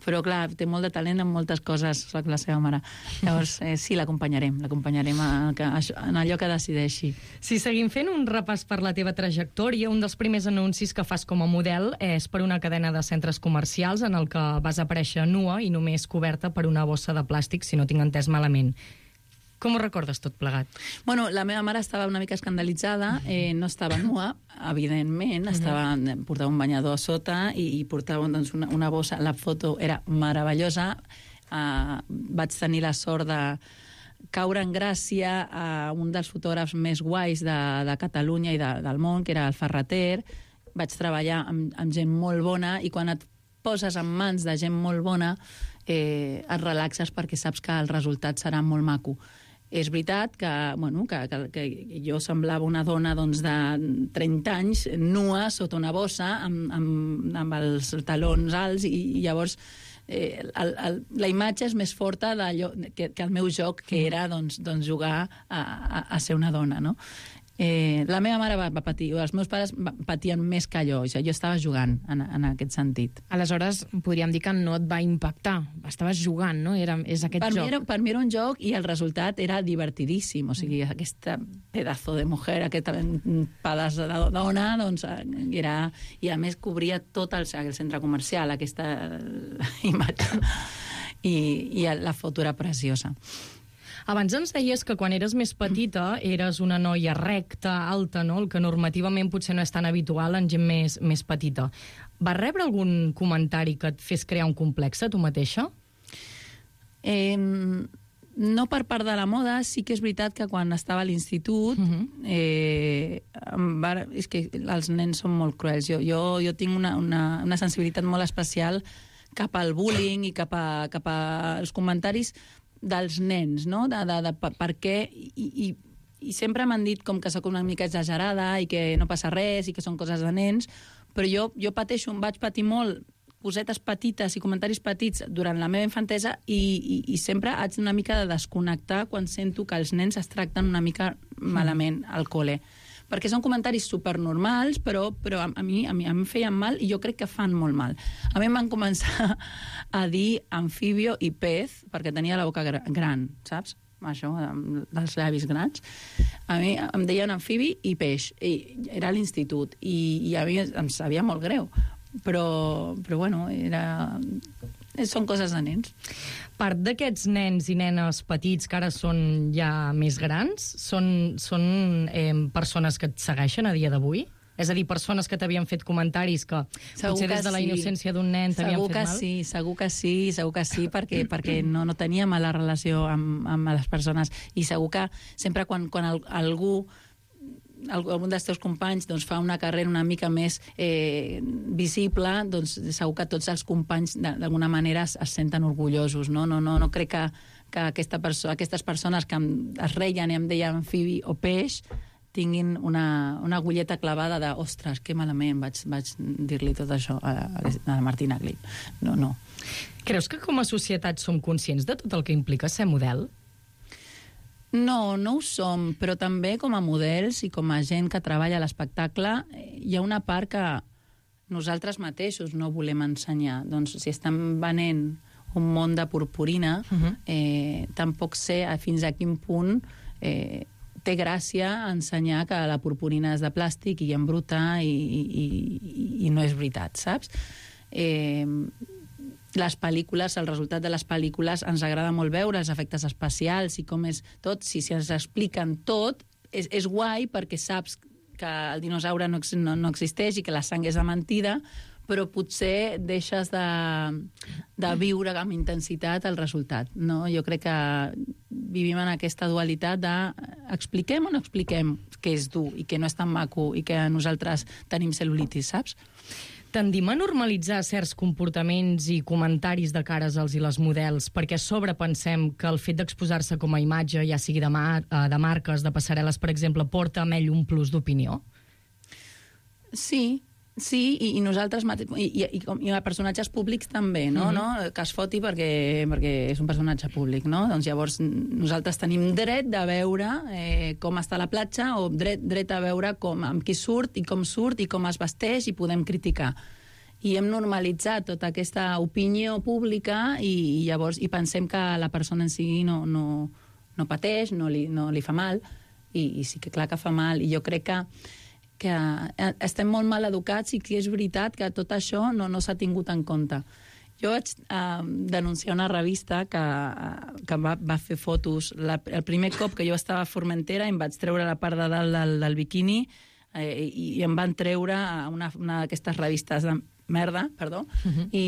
Però clar, té molt de talent en moltes coses, soc la seva mare. Llavors, eh, sí, l'acompanyarem, l'acompanyarem en allò que decideixi. Si seguim fent un repàs per la teva trajectòria, un dels primers anuncis que fas com a model és per una cadena de centres comercials en el que vas aparèixer nua i només coberta per una bossa de plàstic, si no tinc entès malament. Com ho recordes tot plegat? Bueno, la meva mare estava una mica escandalitzada, eh, no estava nua, evidentment, estava, portava un banyador a sota i, i portava doncs, una, una bossa, la foto era meravellosa, uh, vaig tenir la sort de caure en gràcia a un dels fotògrafs més guais de, de Catalunya i de, del món, que era el Ferrater. Vaig treballar amb, amb gent molt bona i quan et poses en mans de gent molt bona eh, et relaxes perquè saps que el resultat serà molt maco. És veritat que, bueno, que, que, que jo semblava una dona doncs, de trenta anys, nua, sota una bossa, amb, amb, amb els talons alts, i, i llavors eh, el, el, la imatge és més forta d'allò, que, que el meu joc, que era doncs, doncs jugar a, a, a ser una dona, no? Eh, la meva mare va, va patir, els meus pares patien més que allò, o sigui, jo estava jugant en, en aquest sentit. Aleshores, podríem dir que no et va impactar, estaves jugant, no? Era, és aquest per joc. Mi era, per mi era un joc i el resultat era divertidíssim, o sigui, mm. aquesta pedazo de mujer, aquest pedaç de dona, doncs era... I a més cobria tot el, el centre comercial, aquesta imatge, i, i la foto era preciosa. Abans ens deies que quan eres més petita eres una noia recta, alta, no? El que normativament potser no és tan habitual en gent més, més petita. Vas rebre algun comentari que et fes crear un complex a tu mateixa? Eh, no per part de la moda, sí que és veritat que quan estava a l'institut, uh-huh. eh, va, és que els nens són molt cruels. Jo, jo, jo tinc una, una, una sensibilitat molt especial cap al bullying i cap, a, cap als comentaris dels nens, no? De, de, de, per, per què... I, i, i sempre m'han dit com que sóc una mica exagerada i que no passa res i que són coses de nens, però jo, jo pateixo, vaig patir molt cosetes petites i comentaris petits durant la meva infantesa i, i, i sempre haig una mica de desconnectar quan sento que els nens es tracten una mica malament al col·le. Perquè són comentaris supernormals, però, però a, a, mi, a, mi, a mi em feien mal i jo crec que fan molt mal. A mi em van començar a dir amfibio i pez, perquè tenia la boca gran, saps? Això, dels llavis grans. A mi em deien amfibi i peix. I era a l'institut. I, I a mi em sabia molt greu. Però, però bueno, era... són coses de nens. Part d'aquests nens i nenes petits que ara són ja més grans, són, són eh, persones que et segueixen a dia d'avui? És a dir, persones que t'havien fet comentaris que Segur potser des de la sí. innocència d'un nen t'havien Segur fet que mal? sí, segur que sí, segur que sí, perquè, perquè no, no tenia mala relació amb, amb les persones. I segur que sempre quan, quan el, algú algun dels teus companys doncs, fa una carrera una mica més eh, visible, doncs segur que tots els companys d'alguna manera es, es senten orgullosos. No, no, no, no crec que, que aquesta perso aquestes persones que em, es reien i em deien amfibi o peix tinguin una, una agulleta clavada de ostres, que malament vaig, vaig dir-li tot això a, a la Martina Glip. No, no. Creus que com a societat som conscients de tot el que implica ser model? No, no ho som, però també com a models i com a gent que treballa a l'espectacle hi ha una part que nosaltres mateixos no volem ensenyar. Doncs si estan venent un món de purpurina, uh-huh. eh, tampoc sé fins a quin punt eh, té gràcia ensenyar que la purpurina és de plàstic i embruta i, i, i, i no és veritat, saps? Eh, les pel·lícules, el resultat de les pel·lícules ens agrada molt veure els efectes especials i com és tot, si, si ens expliquen tot, és, és guai perquè saps que el dinosaure no, no, no existeix i que la sang és de mentida, però potser deixes de, de viure amb intensitat el resultat. No? Jo crec que vivim en aquesta dualitat de expliquem o no expliquem que és dur i que no és tan maco i que nosaltres tenim cel·lulitis, saps? Tendim a normalitzar certs comportaments i comentaris de cares als i les models perquè a sobre pensem que el fet d'exposar-se com a imatge, ja sigui de, mar de marques, de passarel·les, per exemple, porta amb ell un plus d'opinió? Sí, sí, i, i nosaltres i, i, i, i a personatges públics també, no? Mm-hmm. no? Que es foti perquè, perquè és un personatge públic, no? Doncs llavors nosaltres tenim dret de veure eh, com està la platja o dret, dret a veure com, amb qui surt i com surt i com es vesteix i podem criticar. I hem normalitzat tota aquesta opinió pública i, i llavors i pensem que la persona en si no, no, no pateix, no li, no li fa mal i, i sí que clar que fa mal i jo crec que que estem molt mal educats i que és veritat que tot això no, no s'ha tingut en compte. Jo vaig eh, denunciar una revista que, que va, va fer fotos. La, el primer cop que jo estava a Formentera em vaig treure la part de dalt del, del biquini eh, i, i em van treure una, una d'aquestes revistes de merda, perdó, uh-huh. i,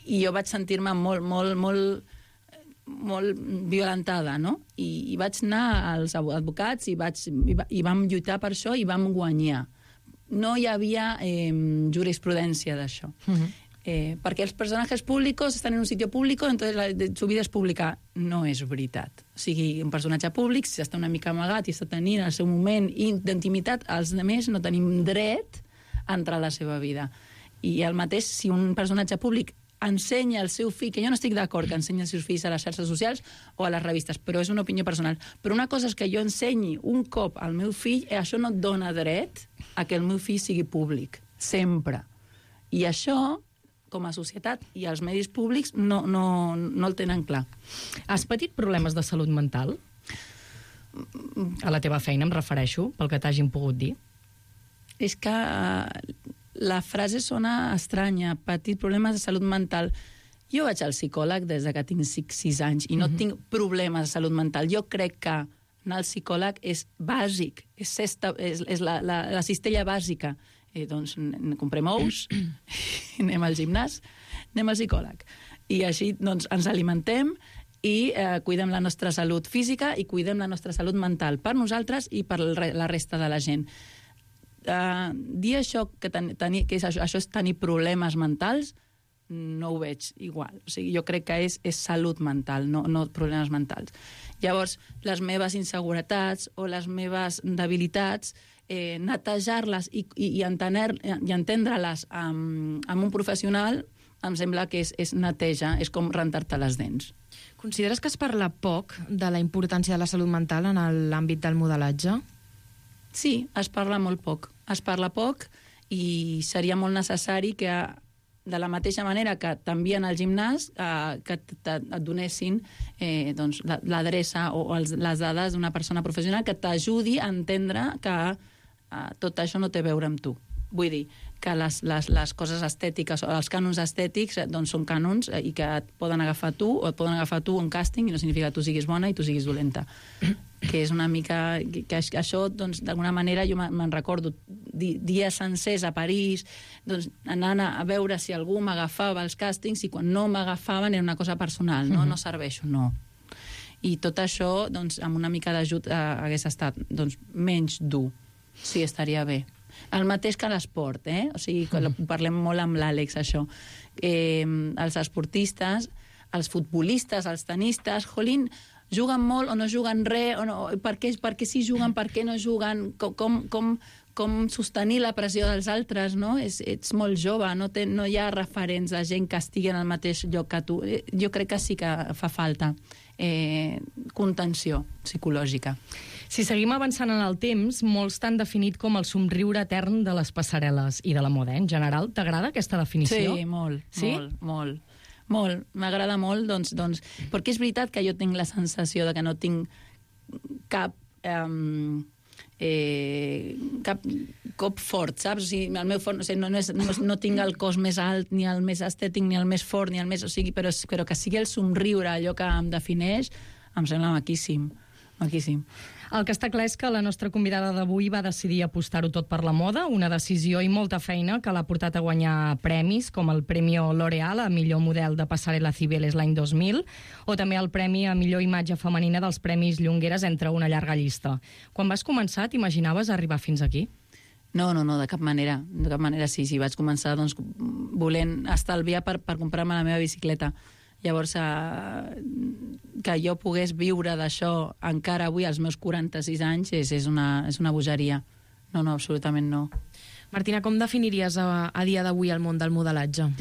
i jo vaig sentir-me molt, molt, molt molt violentada, no? I, i vaig anar als advocats i, vaig, i, va, i vam lluitar per això i vam guanyar. No hi havia eh, jurisprudència d'això. Uh-huh. eh, perquè els personatges públics estan en un sitio público, entonces la, de, su vida és pública. No és veritat. O sigui, un personatge públic, si està una mica amagat i està tenint el seu moment d'intimitat, els altres no tenim dret a entrar a la seva vida. I el mateix, si un personatge públic ensenya el seu fill, que jo no estic d'acord que ensenyi els seus fills a les xarxes socials o a les revistes, però és una opinió personal. Però una cosa és que jo ensenyi un cop al meu fill, i això no et dona dret a que el meu fill sigui públic, sempre. I això, com a societat i els medis públics, no, no, no el tenen clar. Has patit problemes de salut mental? A la teva feina, em refereixo, pel que t'hagin pogut dir. És que la frase sona estranya, patir problemes de salut mental. Jo vaig al psicòleg des que tinc sis anys i no mm-hmm. tinc problemes de salut mental. Jo crec que anar al psicòleg és bàsic, és, sexta, és, és la, la, la cistella bàsica. Eh, doncs comprem ous, anem al gimnàs, anem al psicòleg. I així doncs, ens alimentem i eh, cuidem la nostra salut física i cuidem la nostra salut mental per nosaltres i per la resta de la gent. Uh, dir això que, ten, tenir, que és, això, això és tenir problemes mentals, no ho veig igual. O sigui, jo crec que és, és salut mental, no, no problemes mentals. Llavors, les meves inseguretats o les meves debilitats, eh, netejar-les i, i, i, entener, i entendre-les amb, amb un professional em sembla que és, és neteja, és com rentar-te les dents. Consideres que es parla poc de la importància de la salut mental en l'àmbit del modelatge? Sí, es parla molt poc. Es parla poc i seria molt necessari que, de la mateixa manera que t'envien al gimnàs, eh, que et donessin eh, doncs, l'adreça o els, les dades d'una persona professional que t'ajudi a entendre que eh, tot això no té a veure amb tu. Vull dir, que les, les, les coses estètiques o els cànons estètics doncs són cànons i que et poden agafar tu o et poden agafar tu un càsting i no significa que tu siguis bona i tu siguis dolenta. Que és una mica... que, que això, doncs, d'alguna manera, jo me'n recordo di, dies sencers a París, doncs, anant a veure si algú m'agafava els càstings i quan no m'agafaven era una cosa personal, no? No serveixo, no. I tot això, doncs, amb una mica d'ajut eh, hagués estat doncs, menys dur. Sí, estaria bé. El mateix que l'esport, eh? O sigui, mm. parlem molt amb l'Àlex, això. Eh, els esportistes, els futbolistes, els tenistes, jolín, juguen molt o no juguen res, o no, per, què, per què sí juguen, per què no juguen, com, com, com sostenir la pressió dels altres, no? És, ets molt jove, no, té, no hi ha referents de gent que estigui en el mateix lloc que tu. Jo crec que sí que fa falta eh, contenció psicològica. Si seguim avançant en el temps, molts t'han definit com el somriure etern de les passarel·les i de la moda, eh? En general, t'agrada aquesta definició? Sí, molt, sí? molt, molt. Molt, m'agrada molt, doncs, doncs, perquè és veritat que jo tinc la sensació de que no tinc cap... Um, eh, cap cop fort, saps? O sigui, el meu fort, o sigui, no, no, és, no, no tinc el cos més alt, ni el més estètic, ni el més fort, ni el més... O sigui, però, però que sigui el somriure, allò que em defineix, em sembla maquíssim, maquíssim. El que està clar és que la nostra convidada d'avui va decidir apostar-ho tot per la moda, una decisió i molta feina que l'ha portat a guanyar premis, com el Premi L'Oreal a millor model de passarel·la Cibeles l'any dos mil, o també el Premi a millor imatge femenina dels Premis Llongueres, entre una llarga llista. Quan vas començar, t'imaginaves arribar fins aquí? No, no, no, de cap manera. De cap manera, sí, sí. Vaig començar doncs, volent estalviar per, per comprar-me la meva bicicleta. Llavors, eh, que jo pogués viure d'això encara avui, als meus quaranta-sis anys, és, és, una, és una bogeria. No, no, absolutament no. Martina, com definiries a, a dia d'avui el món del modelatge?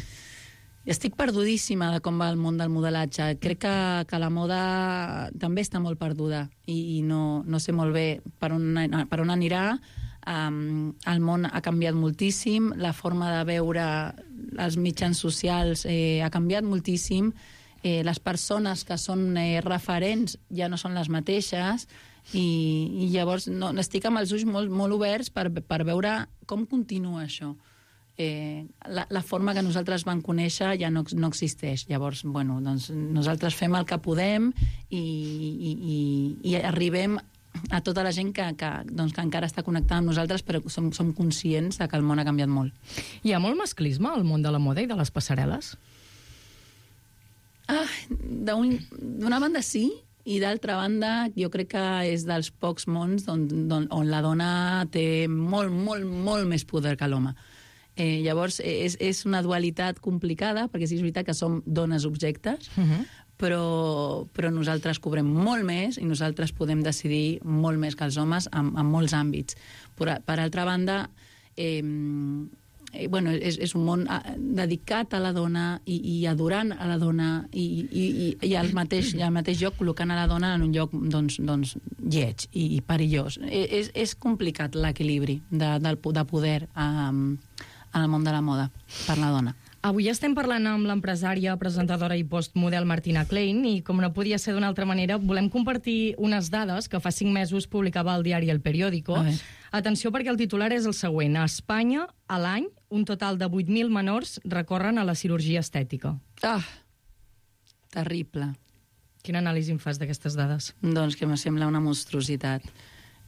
Estic perdudíssima de com va el món del modelatge. Crec que, que la moda també està molt perduda i, i no, no sé molt bé per on, per on anirà. Um, el món ha canviat moltíssim, la forma de veure els mitjans socials eh, ha canviat moltíssim, eh, les persones que són eh, referents ja no són les mateixes i, i llavors no, estic amb els ulls molt, molt oberts per, per veure com continua això. Eh, la, la forma que nosaltres vam conèixer ja no, no existeix. Llavors, bueno, doncs nosaltres fem el que podem i, i, i, i arribem a tota la gent que, que, doncs, que encara està connectada amb nosaltres, però som, som conscients de que el món ha canviat molt. Hi ha molt masclisme al món de la moda i de les passarel·les? Ah, d'una banda sí, i d'altra banda jo crec que és dels pocs mons on, on, on la dona té molt, molt, molt més poder que l'home. Eh, llavors, és, és una dualitat complicada, perquè sí, és veritat que som dones objectes, uh-huh. però, però nosaltres cobrem molt més i nosaltres podem decidir molt més que els homes en, en molts àmbits. Per, per altra banda, eh, eh, bueno, és, és un món dedicat a la dona i, i adorant a la dona i, i, i, i al, mateix, al mateix lloc col·locant a la dona en un lloc doncs, doncs, lleig i, i perillós. És, és complicat l'equilibri de, de, de poder um, en el món de la moda per la dona. Avui estem parlant amb l'empresària, presentadora i postmodel Martina Klein i, com no podia ser d'una altra manera, volem compartir unes dades que fa cinc mesos publicava el diari El Periódico. Atenció, perquè el titular és el següent. A Espanya, a l'any, un total de vuit mil menors recorren a la cirurgia estètica. Ah, terrible. Quina anàlisi em fas d'aquestes dades? Doncs que em sembla una monstruositat.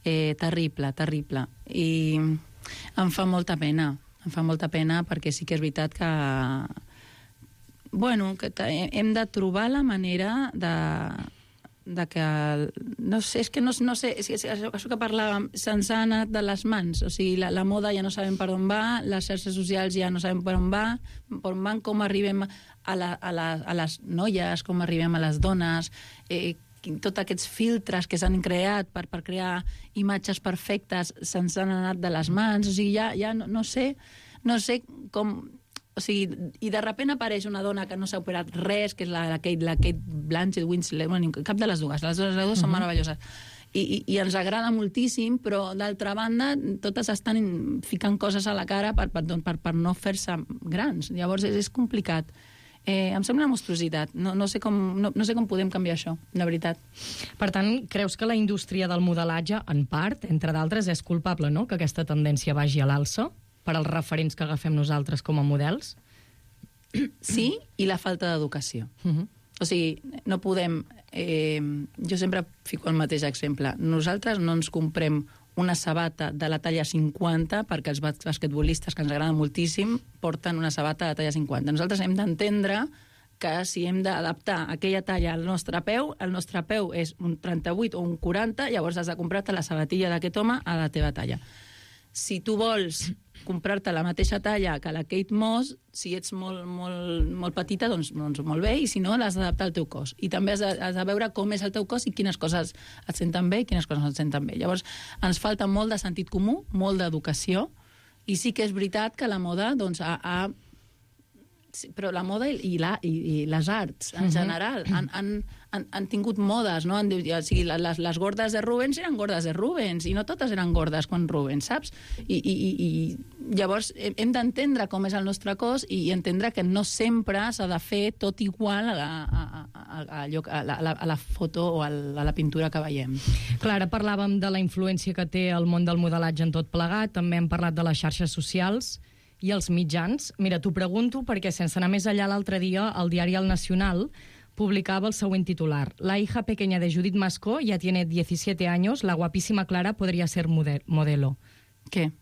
Eh, terrible, terrible. I em fa molta pena. Em fa molta pena perquè sí que és veritat que, bueno, que hem de trobar la manera de, de que... No sé, és que no, no sé, és que això, això que parlàvem, se'ns ha anat de les mans. O sigui, la, la moda ja no sabem per on va, les xarxes socials ja no sabem per on va, per on van, com arribem a, la, a, la, a les noies, com arribem a les dones, eh, tots aquests filtres que s'han creat per, per crear imatges perfectes se'ns han anat de les mans, o sigui, ja, ja no, no sé no sé com... O sigui, i de sobte apareix una dona que no s'ha operat res, que és la, la, Kate, la Kate Blanchett, Winslet, bueno, cap de les dues, les dues, les dues uh-huh. són meravelloses. I, i, I ens agrada moltíssim, però d'altra banda totes estan ficant coses a la cara per, per, per, per no fer-se grans. Llavors és, és complicat. Eh, em sembla una monstruositat. No, no, sé com, no, no sé com podem canviar això, de veritat. Per tant, creus que la indústria del modelatge, en part, entre d'altres, és culpable, no?, que aquesta tendència vagi a l'alça? per als referents que agafem nosaltres com a models? Sí, i la falta d'educació. Uh-huh. O sigui, no podem... Eh, jo sempre fico el mateix exemple. Nosaltres no ens comprem una sabata de la talla cinquanta perquè els basquetbolistes, que ens agraden moltíssim, porten una sabata de la talla cinquanta. Nosaltres hem d'entendre que si hem d'adaptar aquella talla al nostre peu, el nostre peu és un trenta-vuit o un quaranta, llavors has de comprar-te la sabatilla d'aquest home a la teva talla. Si tu vols comprar-te la mateixa talla que la Kate Moss, si ets molt, molt, molt petita, doncs, doncs molt bé, i si no, l'has d'adaptar al teu cos. I també has de, has de veure com és el teu cos i quines coses et senten bé i quines coses no et senten bé. Llavors, ens falta molt de sentit comú, molt d'educació, i sí que és veritat que la moda doncs, ha, ha sí, però la moda i, la, i, i les arts, en general, han, han, han, han tingut modes, no? Han, o sigui, les, les gordes de Rubens eren gordes de Rubens, i no totes eren gordes quan Rubens, saps? I, i, i, i llavors hem d'entendre com és el nostre cos i, i entendre que no sempre s'ha de fer tot igual a la, a, a, a, a, la, a, la, a la foto o a la, a la pintura que veiem. Clara, parlàvem de la influència que té el món del modelatge en tot plegat, també hem parlat de les xarxes socials i els mitjans. Mira, t'ho pregunto perquè, sense anar més allà, l'altre dia el diari El Nacional publicaba el següent titular. La hija pequeña de Judith Mascó ya tiene diecisiete años, la guapísima Clara podria ser model modelo. Què?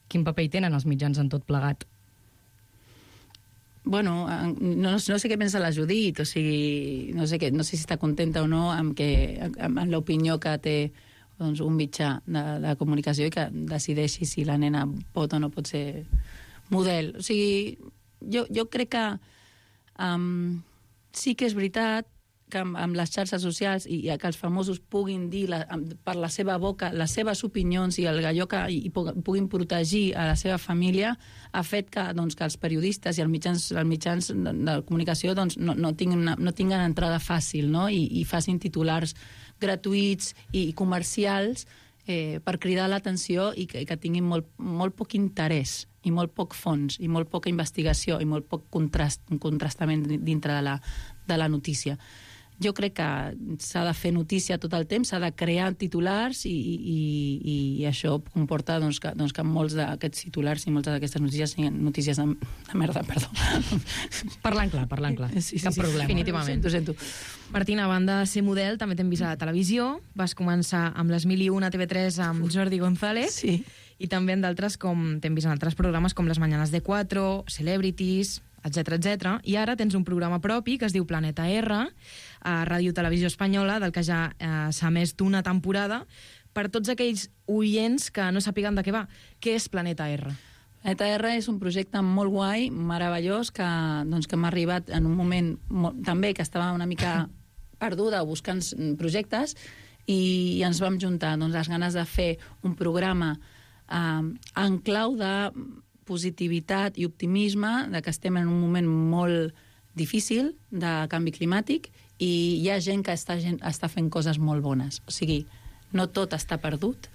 Quin paper hi tenen els mitjans en tot plegat? Bueno, no, no sé què pensa la Judit, o sigui, no sé, què, no sé si està contenta o no amb, que, amb, amb l'opinió que té doncs, un mitjà de, de comunicació i que decideixi si la nena pot o no pot ser model. O sigui, jo, jo crec que um, sí que és veritat que amb, amb les xarxes socials i, i que els famosos puguin dir la, per la seva boca les seves opinions i el allò que i puguin protegir a la seva família ha fet que, doncs, que els periodistes i els mitjans, els mitjans de, de comunicació doncs, no, no, tinguin una, no tinguin entrada fàcil, no? I, i facin titulars gratuïts i comercials eh, per cridar l'atenció i que, que tinguin molt, molt poc interès i molt poc fons i molt poca investigació i molt poc contrast, un contrastament dintre de la, de la notícia. Jo crec que s'ha de fer notícia tot el temps, s'ha de crear titulars i, i, i, i això comporta doncs, que, doncs, que molts d'aquests titulars i moltes d'aquestes notícies siguin notícies de, de merda, perdó. Parlant clar, parlant clar. Sí, sí, Cap sí, problema. definitivament. Ho sento, sento. Martina, a banda de ser model, també t'hem vist a la televisió. Vas començar amb les mil i una a T V tres amb Jordi González. Sí. I també en d'altres, com t'hem vist en altres programes com Les Mañanas de Cuatro, Celebrities, etcètera, etcètera. I ara tens un programa propi que es diu Planeta R, a Ràdio Televisió Espanyola, del que ja eh, s'ha emès d'una temporada. Per tots aquells oients que no sàpiguen de què va, què és Planeta R? Planeta R és un projecte molt guai, meravellós, que, doncs, que m'ha arribat en un moment molt, també que estava una mica perduda buscant projectes i, i ens vam juntar doncs, les ganes de fer un programa eh, en clau de positivitat i optimisme, de que estem en un moment molt difícil de canvi climàtic i hi ha gent que està, gent, està fent coses molt bones. O sigui, no tot està perdut,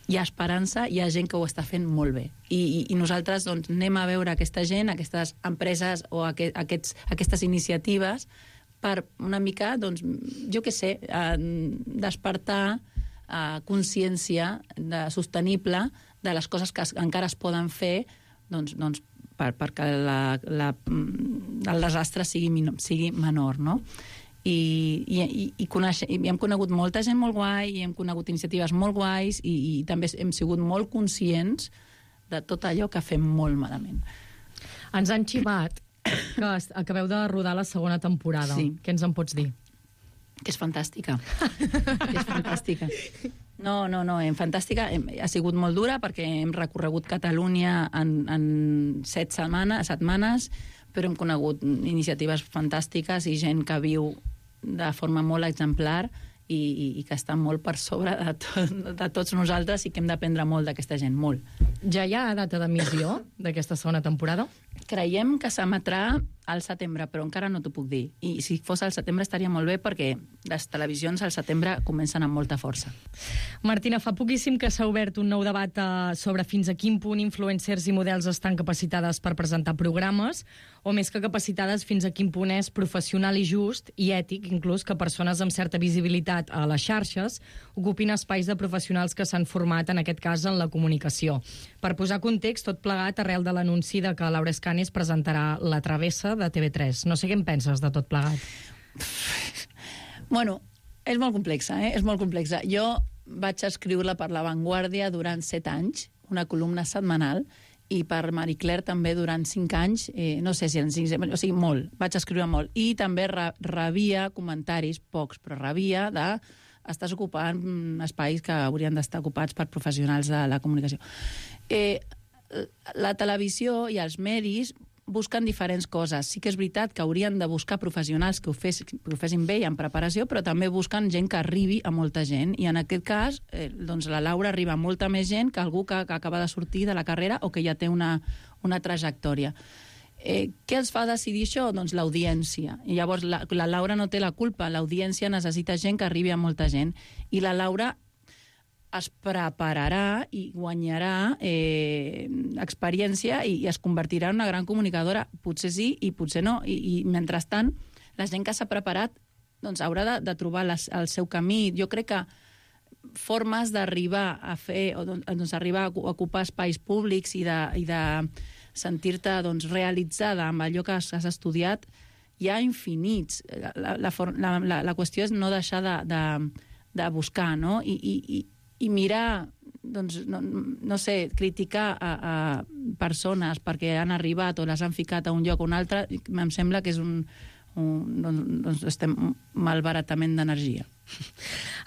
hi ha esperança, hi ha gent que ho està fent molt bé. I, i, i nosaltres doncs, anem a veure aquesta gent, aquestes empreses o aquest, aquests, aquestes iniciatives per una mica, doncs, jo què sé, eh, despertar eh, consciència de, sostenible de les coses que es, encara es poden fer doncs, doncs per, perquè la, la, el desastre sigui, sigui menor, no? I, i, i, i, coneix, i hem conegut molta gent molt guai i hem conegut iniciatives molt guais i, i també hem sigut molt conscients de tot allò que fem molt malament. Ens han xivat que acabeu de rodar la segona temporada. Sí. Què ens en pots dir? Que és fantàstica. Que és fantàstica. No, no, no, en fantàstica. Ha sigut molt dura perquè hem recorregut Catalunya en, en set setmanes, setmanes, però hem conegut iniciatives fantàstiques i gent que viu de forma molt exemplar i, i, i que està molt per sobre de, tot, de tots nosaltres i que hem d'aprendre molt d'aquesta gent, molt. Ja hi ha data d'emissió d'aquesta segona temporada? Creiem que s'emetrà al setembre, però encara no t'ho puc dir. I si fos al setembre estaria molt bé perquè les televisions al setembre comencen amb molta força. Martina, fa poquíssim que s'ha obert un nou debat eh, sobre fins a quin punt influencers i models estan capacitades per presentar programes, o més que capacitades, fins a quin punt és professional i just, i ètic, inclús, que persones amb certa visibilitat a les xarxes ocupin espais de professionals que s'han format, en aquest cas, en la comunicació. Per posar context, tot plegat arrel de l'anunci de que Laura Escanes presentarà La Travessa de T V tres. No sé què en penses de tot plegat. Bueno, és molt complexa, eh? És molt complexa. Jo vaig escriure per La Vanguardia durant set anys, una columna setmanal, i per Marie Claire també durant cinc anys, eh, no sé si eren cinc, o sigui, molt, vaig escriure molt. I també re rebia comentaris, pocs, però rebia de estàs ocupant espais que haurien d'estar ocupats per professionals de la comunicació. Eh, la televisió i els medis busquen diferents coses. Sí que és veritat que haurien de buscar professionals que ho, fes, que ho fessin bé i en preparació, però també busquen gent que arribi a molta gent. I en aquest cas, eh, doncs la Laura arriba a molta més gent que algú que, que acaba de sortir de la carrera o que ja té una, una trajectòria. Eh, què els fa decidir això? Doncs l'audiència. I llavors la, la Laura no té la culpa. L'audiència necessita gent que arribi a molta gent. I la Laura es prepararà i guanyarà eh, experiència i, i es convertirà en una gran comunicadora. Potser sí i potser no. I, i mentrestant, la gent que s'ha preparat doncs, haurà de, de trobar les, el seu camí. Jo crec que formes d'arribar a fer, o doncs, arribar a ocupar espais públics i de, i de sentir-te doncs, realitzada amb allò que has, has estudiat, hi ha infinits. La, la, la, la, la qüestió és no deixar de, de, de buscar, no? I, i, i mirar, doncs, no, no sé, criticar a, a persones perquè han arribat o les han ficat a un lloc o un altre, em sembla que és un, un doncs, estem malbaratament d'energia.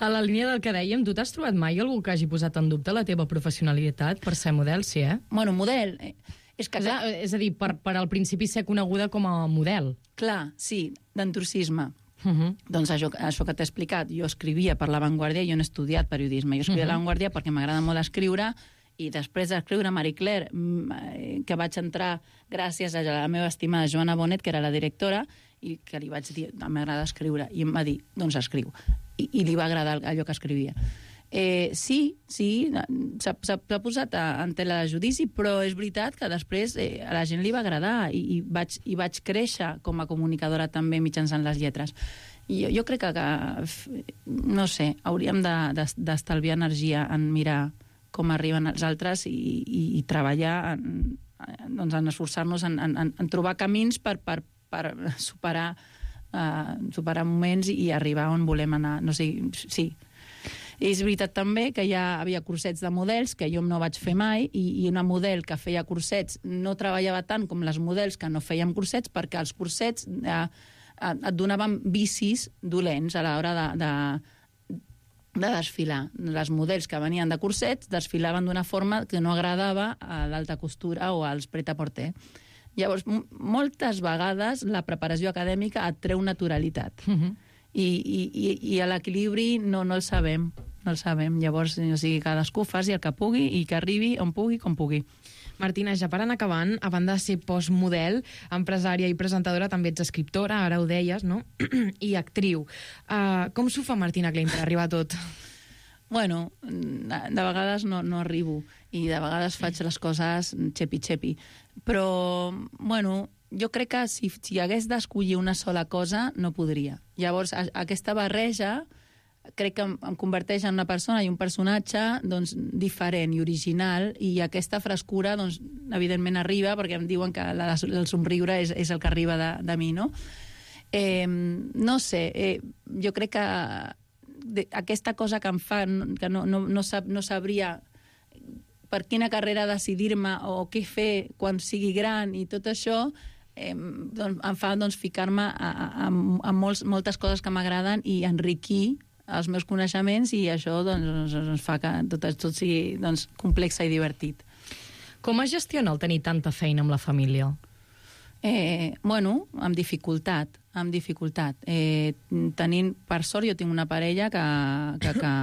A la línia del que dèiem, tu t'has trobat mai algú que hagi posat en dubte la teva professionalitat per ser model, sí, eh? Bueno, model... És, que, clar, és a dir, per, per al principi ser coneguda com a model. Clar, sí, d'entusiasme. Uh -huh. Doncs això, això que t'he explicat, jo escrivia per La Vanguardia, jo no he estudiat periodisme, jo escrivia uh -huh. a La Vanguardia perquè m'agrada molt escriure, i després d'escriure Marie Claire, que vaig entrar gràcies a la meva estimada Joana Bonet, que era la directora, i que li vaig dir, m'agrada escriure, i em va dir, doncs escriu. I, i li va agradar allò que escrivia. Eh, sí, sí, s'ha posat a, en tela de judici, però és veritat que després eh, a la gent li va agradar i, i, vaig, i vaig créixer com a comunicadora també mitjançant les lletres. I jo, jo crec que, que, no sé, hauríem d'estalviar de, de, energia en mirar com arriben els altres i, i, i treballar en, doncs, en esforçar-nos en, en, en trobar camins per, per, per superar, uh, superar moments i, i arribar on volem anar. No sé, sí. És veritat també que ja havia cursets de models, que jo no vaig fer mai, i, i una model que feia cursets no treballava tant com les models que no fèiem cursets, perquè els cursets eh, et donaven vicis dolents a l'hora de, de, de desfilar. Les models que venien de cursets desfilaven d'una forma que no agradava a l'alta costura o als pret-a-porter. Llavors, moltes vegades la preparació acadèmica et treu naturalitat. Uh-huh. I, i, i a l'equilibri no, no el sabem. No el sabem. Llavors, o sigui, cadascú faci el que pugui i que arribi on pugui, com pugui. Martina, ja per anar acabant, a banda de ser postmodel, empresària i presentadora, també ets escriptora, ara ho deies, no? I actriu. Uh, com s'ho fa Martina Klein per arribar a tot? Bueno, de vegades no, no arribo i de vegades faig les coses xepi-xepi. Però, bueno, jo crec que si, si hagués d'escollir una sola cosa, no podria. Llavors, a, aquesta barreja crec que em, em converteix en una persona i un personatge doncs, diferent i original, i aquesta frescura, doncs, evidentment, arriba, perquè em diuen que la, el somriure és, és el que arriba de, de mi, no? Eh, no sé, eh, jo crec que de, aquesta cosa que em fa, que no, no, no, sab, no sabria per quina carrera decidir-me o què fer quan sigui gran i tot això, eh, doncs, em fa doncs, ficar-me a, a, a molts, moltes coses que m'agraden i enriquir els meus coneixements, i això doncs, ens fa que tot, tot sigui doncs, complex i divertit. Com es gestiona el tenir tanta feina amb la família? Eh, bueno, amb dificultat, amb dificultat. Eh, tenint, per sort, jo tinc una parella que, que, que,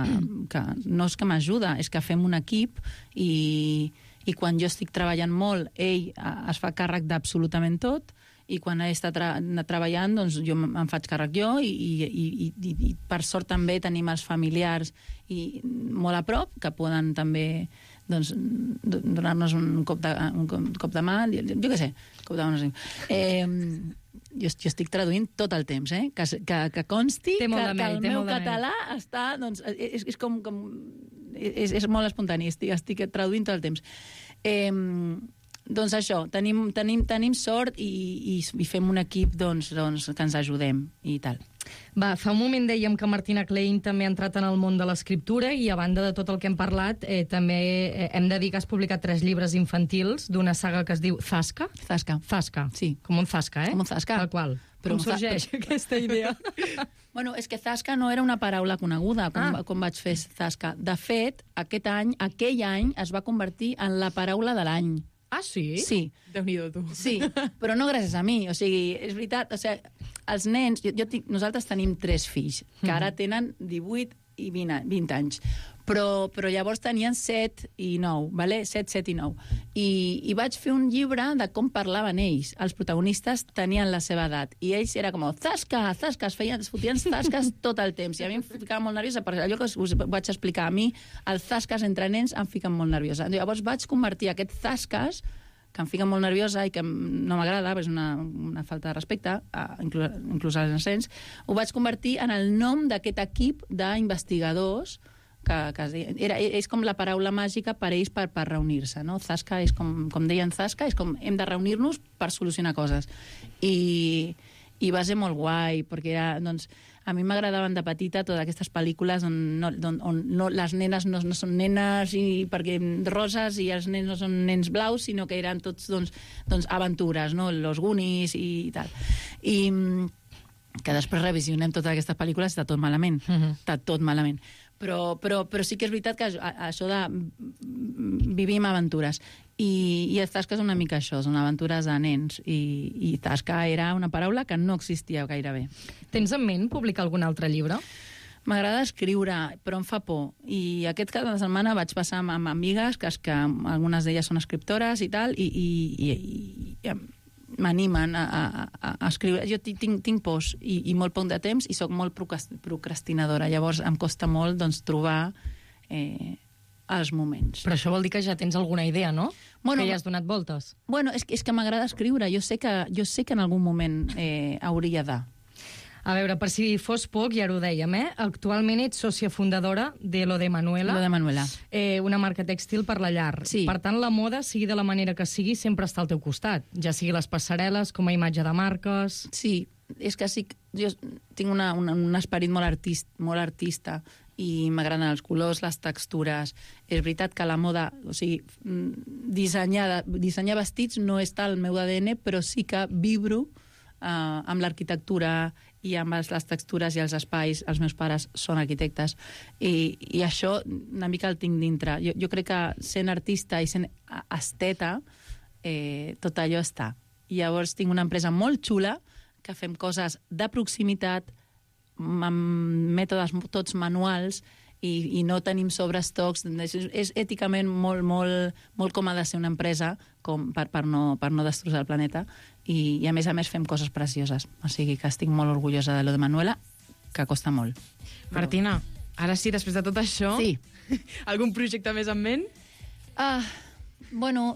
que no és que m'ajuda, és que fem un equip, i, i quan jo estic treballant molt, ell es fa càrrec d'absolutament tot, i quan ell està tra treballant, doncs jo em faig càrrec jo, i, i, i, i, i per sort també tenim els familiars i molt a prop, que poden també doncs, donar-nos un cop de, un cop de mà, jo, jo què sé, cop de mà, no sé. Eh, jo, jo estic traduint tot el temps, eh? que, que, que consti que, que el meu català està, doncs, és, és com, com és, és molt espontani, estic, estic traduint tot el temps. Eh, doncs això, tenim, tenim, tenim sort i, i, i fem un equip doncs, doncs, que ens ajudem i tal. Va, fa un moment dèiem que Martina Klein també ha entrat en el món de l'escriptura i a banda de tot el que hem parlat, eh, també eh, hem de dir que has publicat tres llibres infantils d'una saga que es diu Zasca. Zasca. Zasca. Sí. Com un Zasca, eh? Com un Zasca. Tal qual. Però com sorgeix fa... aquesta idea? Bueno, és que Zasca no era una paraula coneguda quan, ah. quan vaig fer Zasca. De fet, aquest any, aquell any es va convertir en la paraula de l'any. Ah, sí? Sí. Déu-n'hi-do, tu. Sí, però no gràcies a mi. O sigui, és veritat, o sigui, els nens... Jo, jo tinc, nosaltres tenim tres fills, que ara tenen divuit i vint, vint anys. Però, però llavors tenien set i nou, vale? set, set i nou. I, I vaig fer un llibre de com parlaven ells. Els protagonistes tenien la seva edat. I ells era com, zasca, zasca, es feien, es fotien zasques tot el temps. I a mi em ficava molt nerviosa, perquè allò que us vaig explicar, a mi, els zasques entre nens em fiquen molt nerviosa. Llavors vaig convertir aquest zasques, que em fica molt nerviosa i que no m'agrada, és una, una falta de respecte, inclús, inclús als nens, ho vaig convertir en el nom d'aquest equip d'investigadors que, que era, és com la paraula màgica per ells per, per reunir-se, no? Zasca és com, com deien Zasca, és com hem de reunir-nos per solucionar coses. I, i va ser molt guai, perquè era, doncs, a mi m'agradaven de petita totes aquestes pel·lícules on, no, on, on no, les nenes no, no són nenes i perquè roses i els nens no són nens blaus, sinó que eren tots doncs, doncs aventures, no? Los Goonies i tal. I que després revisionem totes aquestes pel·lícules, està tot malament. Uh-huh. Està tot malament. Però, però, però sí que és veritat que això de vivim aventures. I, i el Zasca és una mica això, són aventures de nens. I, i Zasca era una paraula que no existia gairebé. Tens en ment publicar algun altre llibre? M'agrada escriure, però em fa por. I aquest cap de setmana vaig passar amb, amb amigues, que, que algunes d'elles són escriptores i tal, i, i, i, i m'animen a, a, a escriure. Jo tinc, tinc pors i, i molt poc de temps i sóc molt procrastinadora. Llavors em costa molt doncs, trobar eh, els moments. Però això vol dir que ja tens alguna idea, no? Bueno, que ja has donat voltes. Bueno, és, és que m'agrada escriure. Jo sé que, jo sé que en algun moment eh, hauria de... A veure, per si fos poc, ja ho dèiem, eh? Actualment ets sòcia fundadora de Lo de Manuela. Lo de Manuela. Eh, una marca tèxtil per la llar. Sí. Per tant, la moda, sigui de la manera que sigui, sempre està al teu costat. Ja sigui les passarel·les, com a imatge de marques... Sí, és que sí, jo tinc una, una, un esperit molt, artist, molt artista i m'agraden els colors, les textures. És veritat que la moda, o sigui, dissenyar, dissenyar vestits no està al meu A D N, però sí que vibro eh, amb l'arquitectura i amb les textures i els espais. Els meus pares són arquitectes i, i això una mica el tinc dintre. Jo, jo crec que sent artista i sent esteta eh, tot allò està. I llavors tinc una empresa molt xula que fem coses de proximitat amb mètodes tots manuals i, i no tenim sobreestocs. És, és èticament molt, molt, molt com ha de ser una empresa com per, per, no, per no destrossar el planeta. I, i a més a més fem coses precioses. O sigui que estic molt orgullosa de Lo de Manuela, que costa molt. Martina, ara sí, després de tot això, sí. Algun projecte més en ment? Ah, bueno,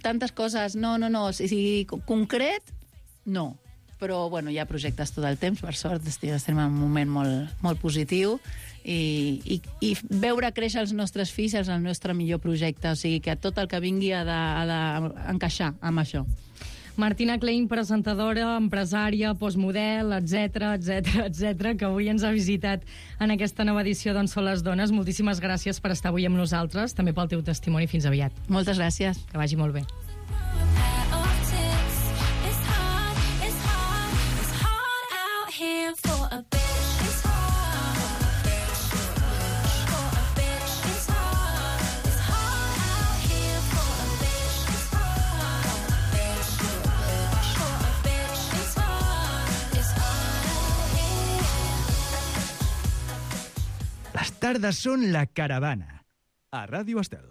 tantes coses. No, no, no. O sigui, concret, no. Però, bueno, hi ha projectes tot el temps, per sort. Estem en un moment molt, molt positiu. I, i, i veure créixer els nostres fills és el nostre millor projecte. O sigui, que tot el que vingui ha d'encaixar amb això. Martina Klein, presentadora, empresària, postmodel, etcètera, etcètera, etcètera, que avui ens ha visitat en aquesta nova edició d'On són les dones. Moltíssimes gràcies per estar avui amb nosaltres, també pel teu testimoni. Fins aviat. Moltes gràcies. Que vagi molt bé. Les tardes són la caravana. A Ràdio Estel.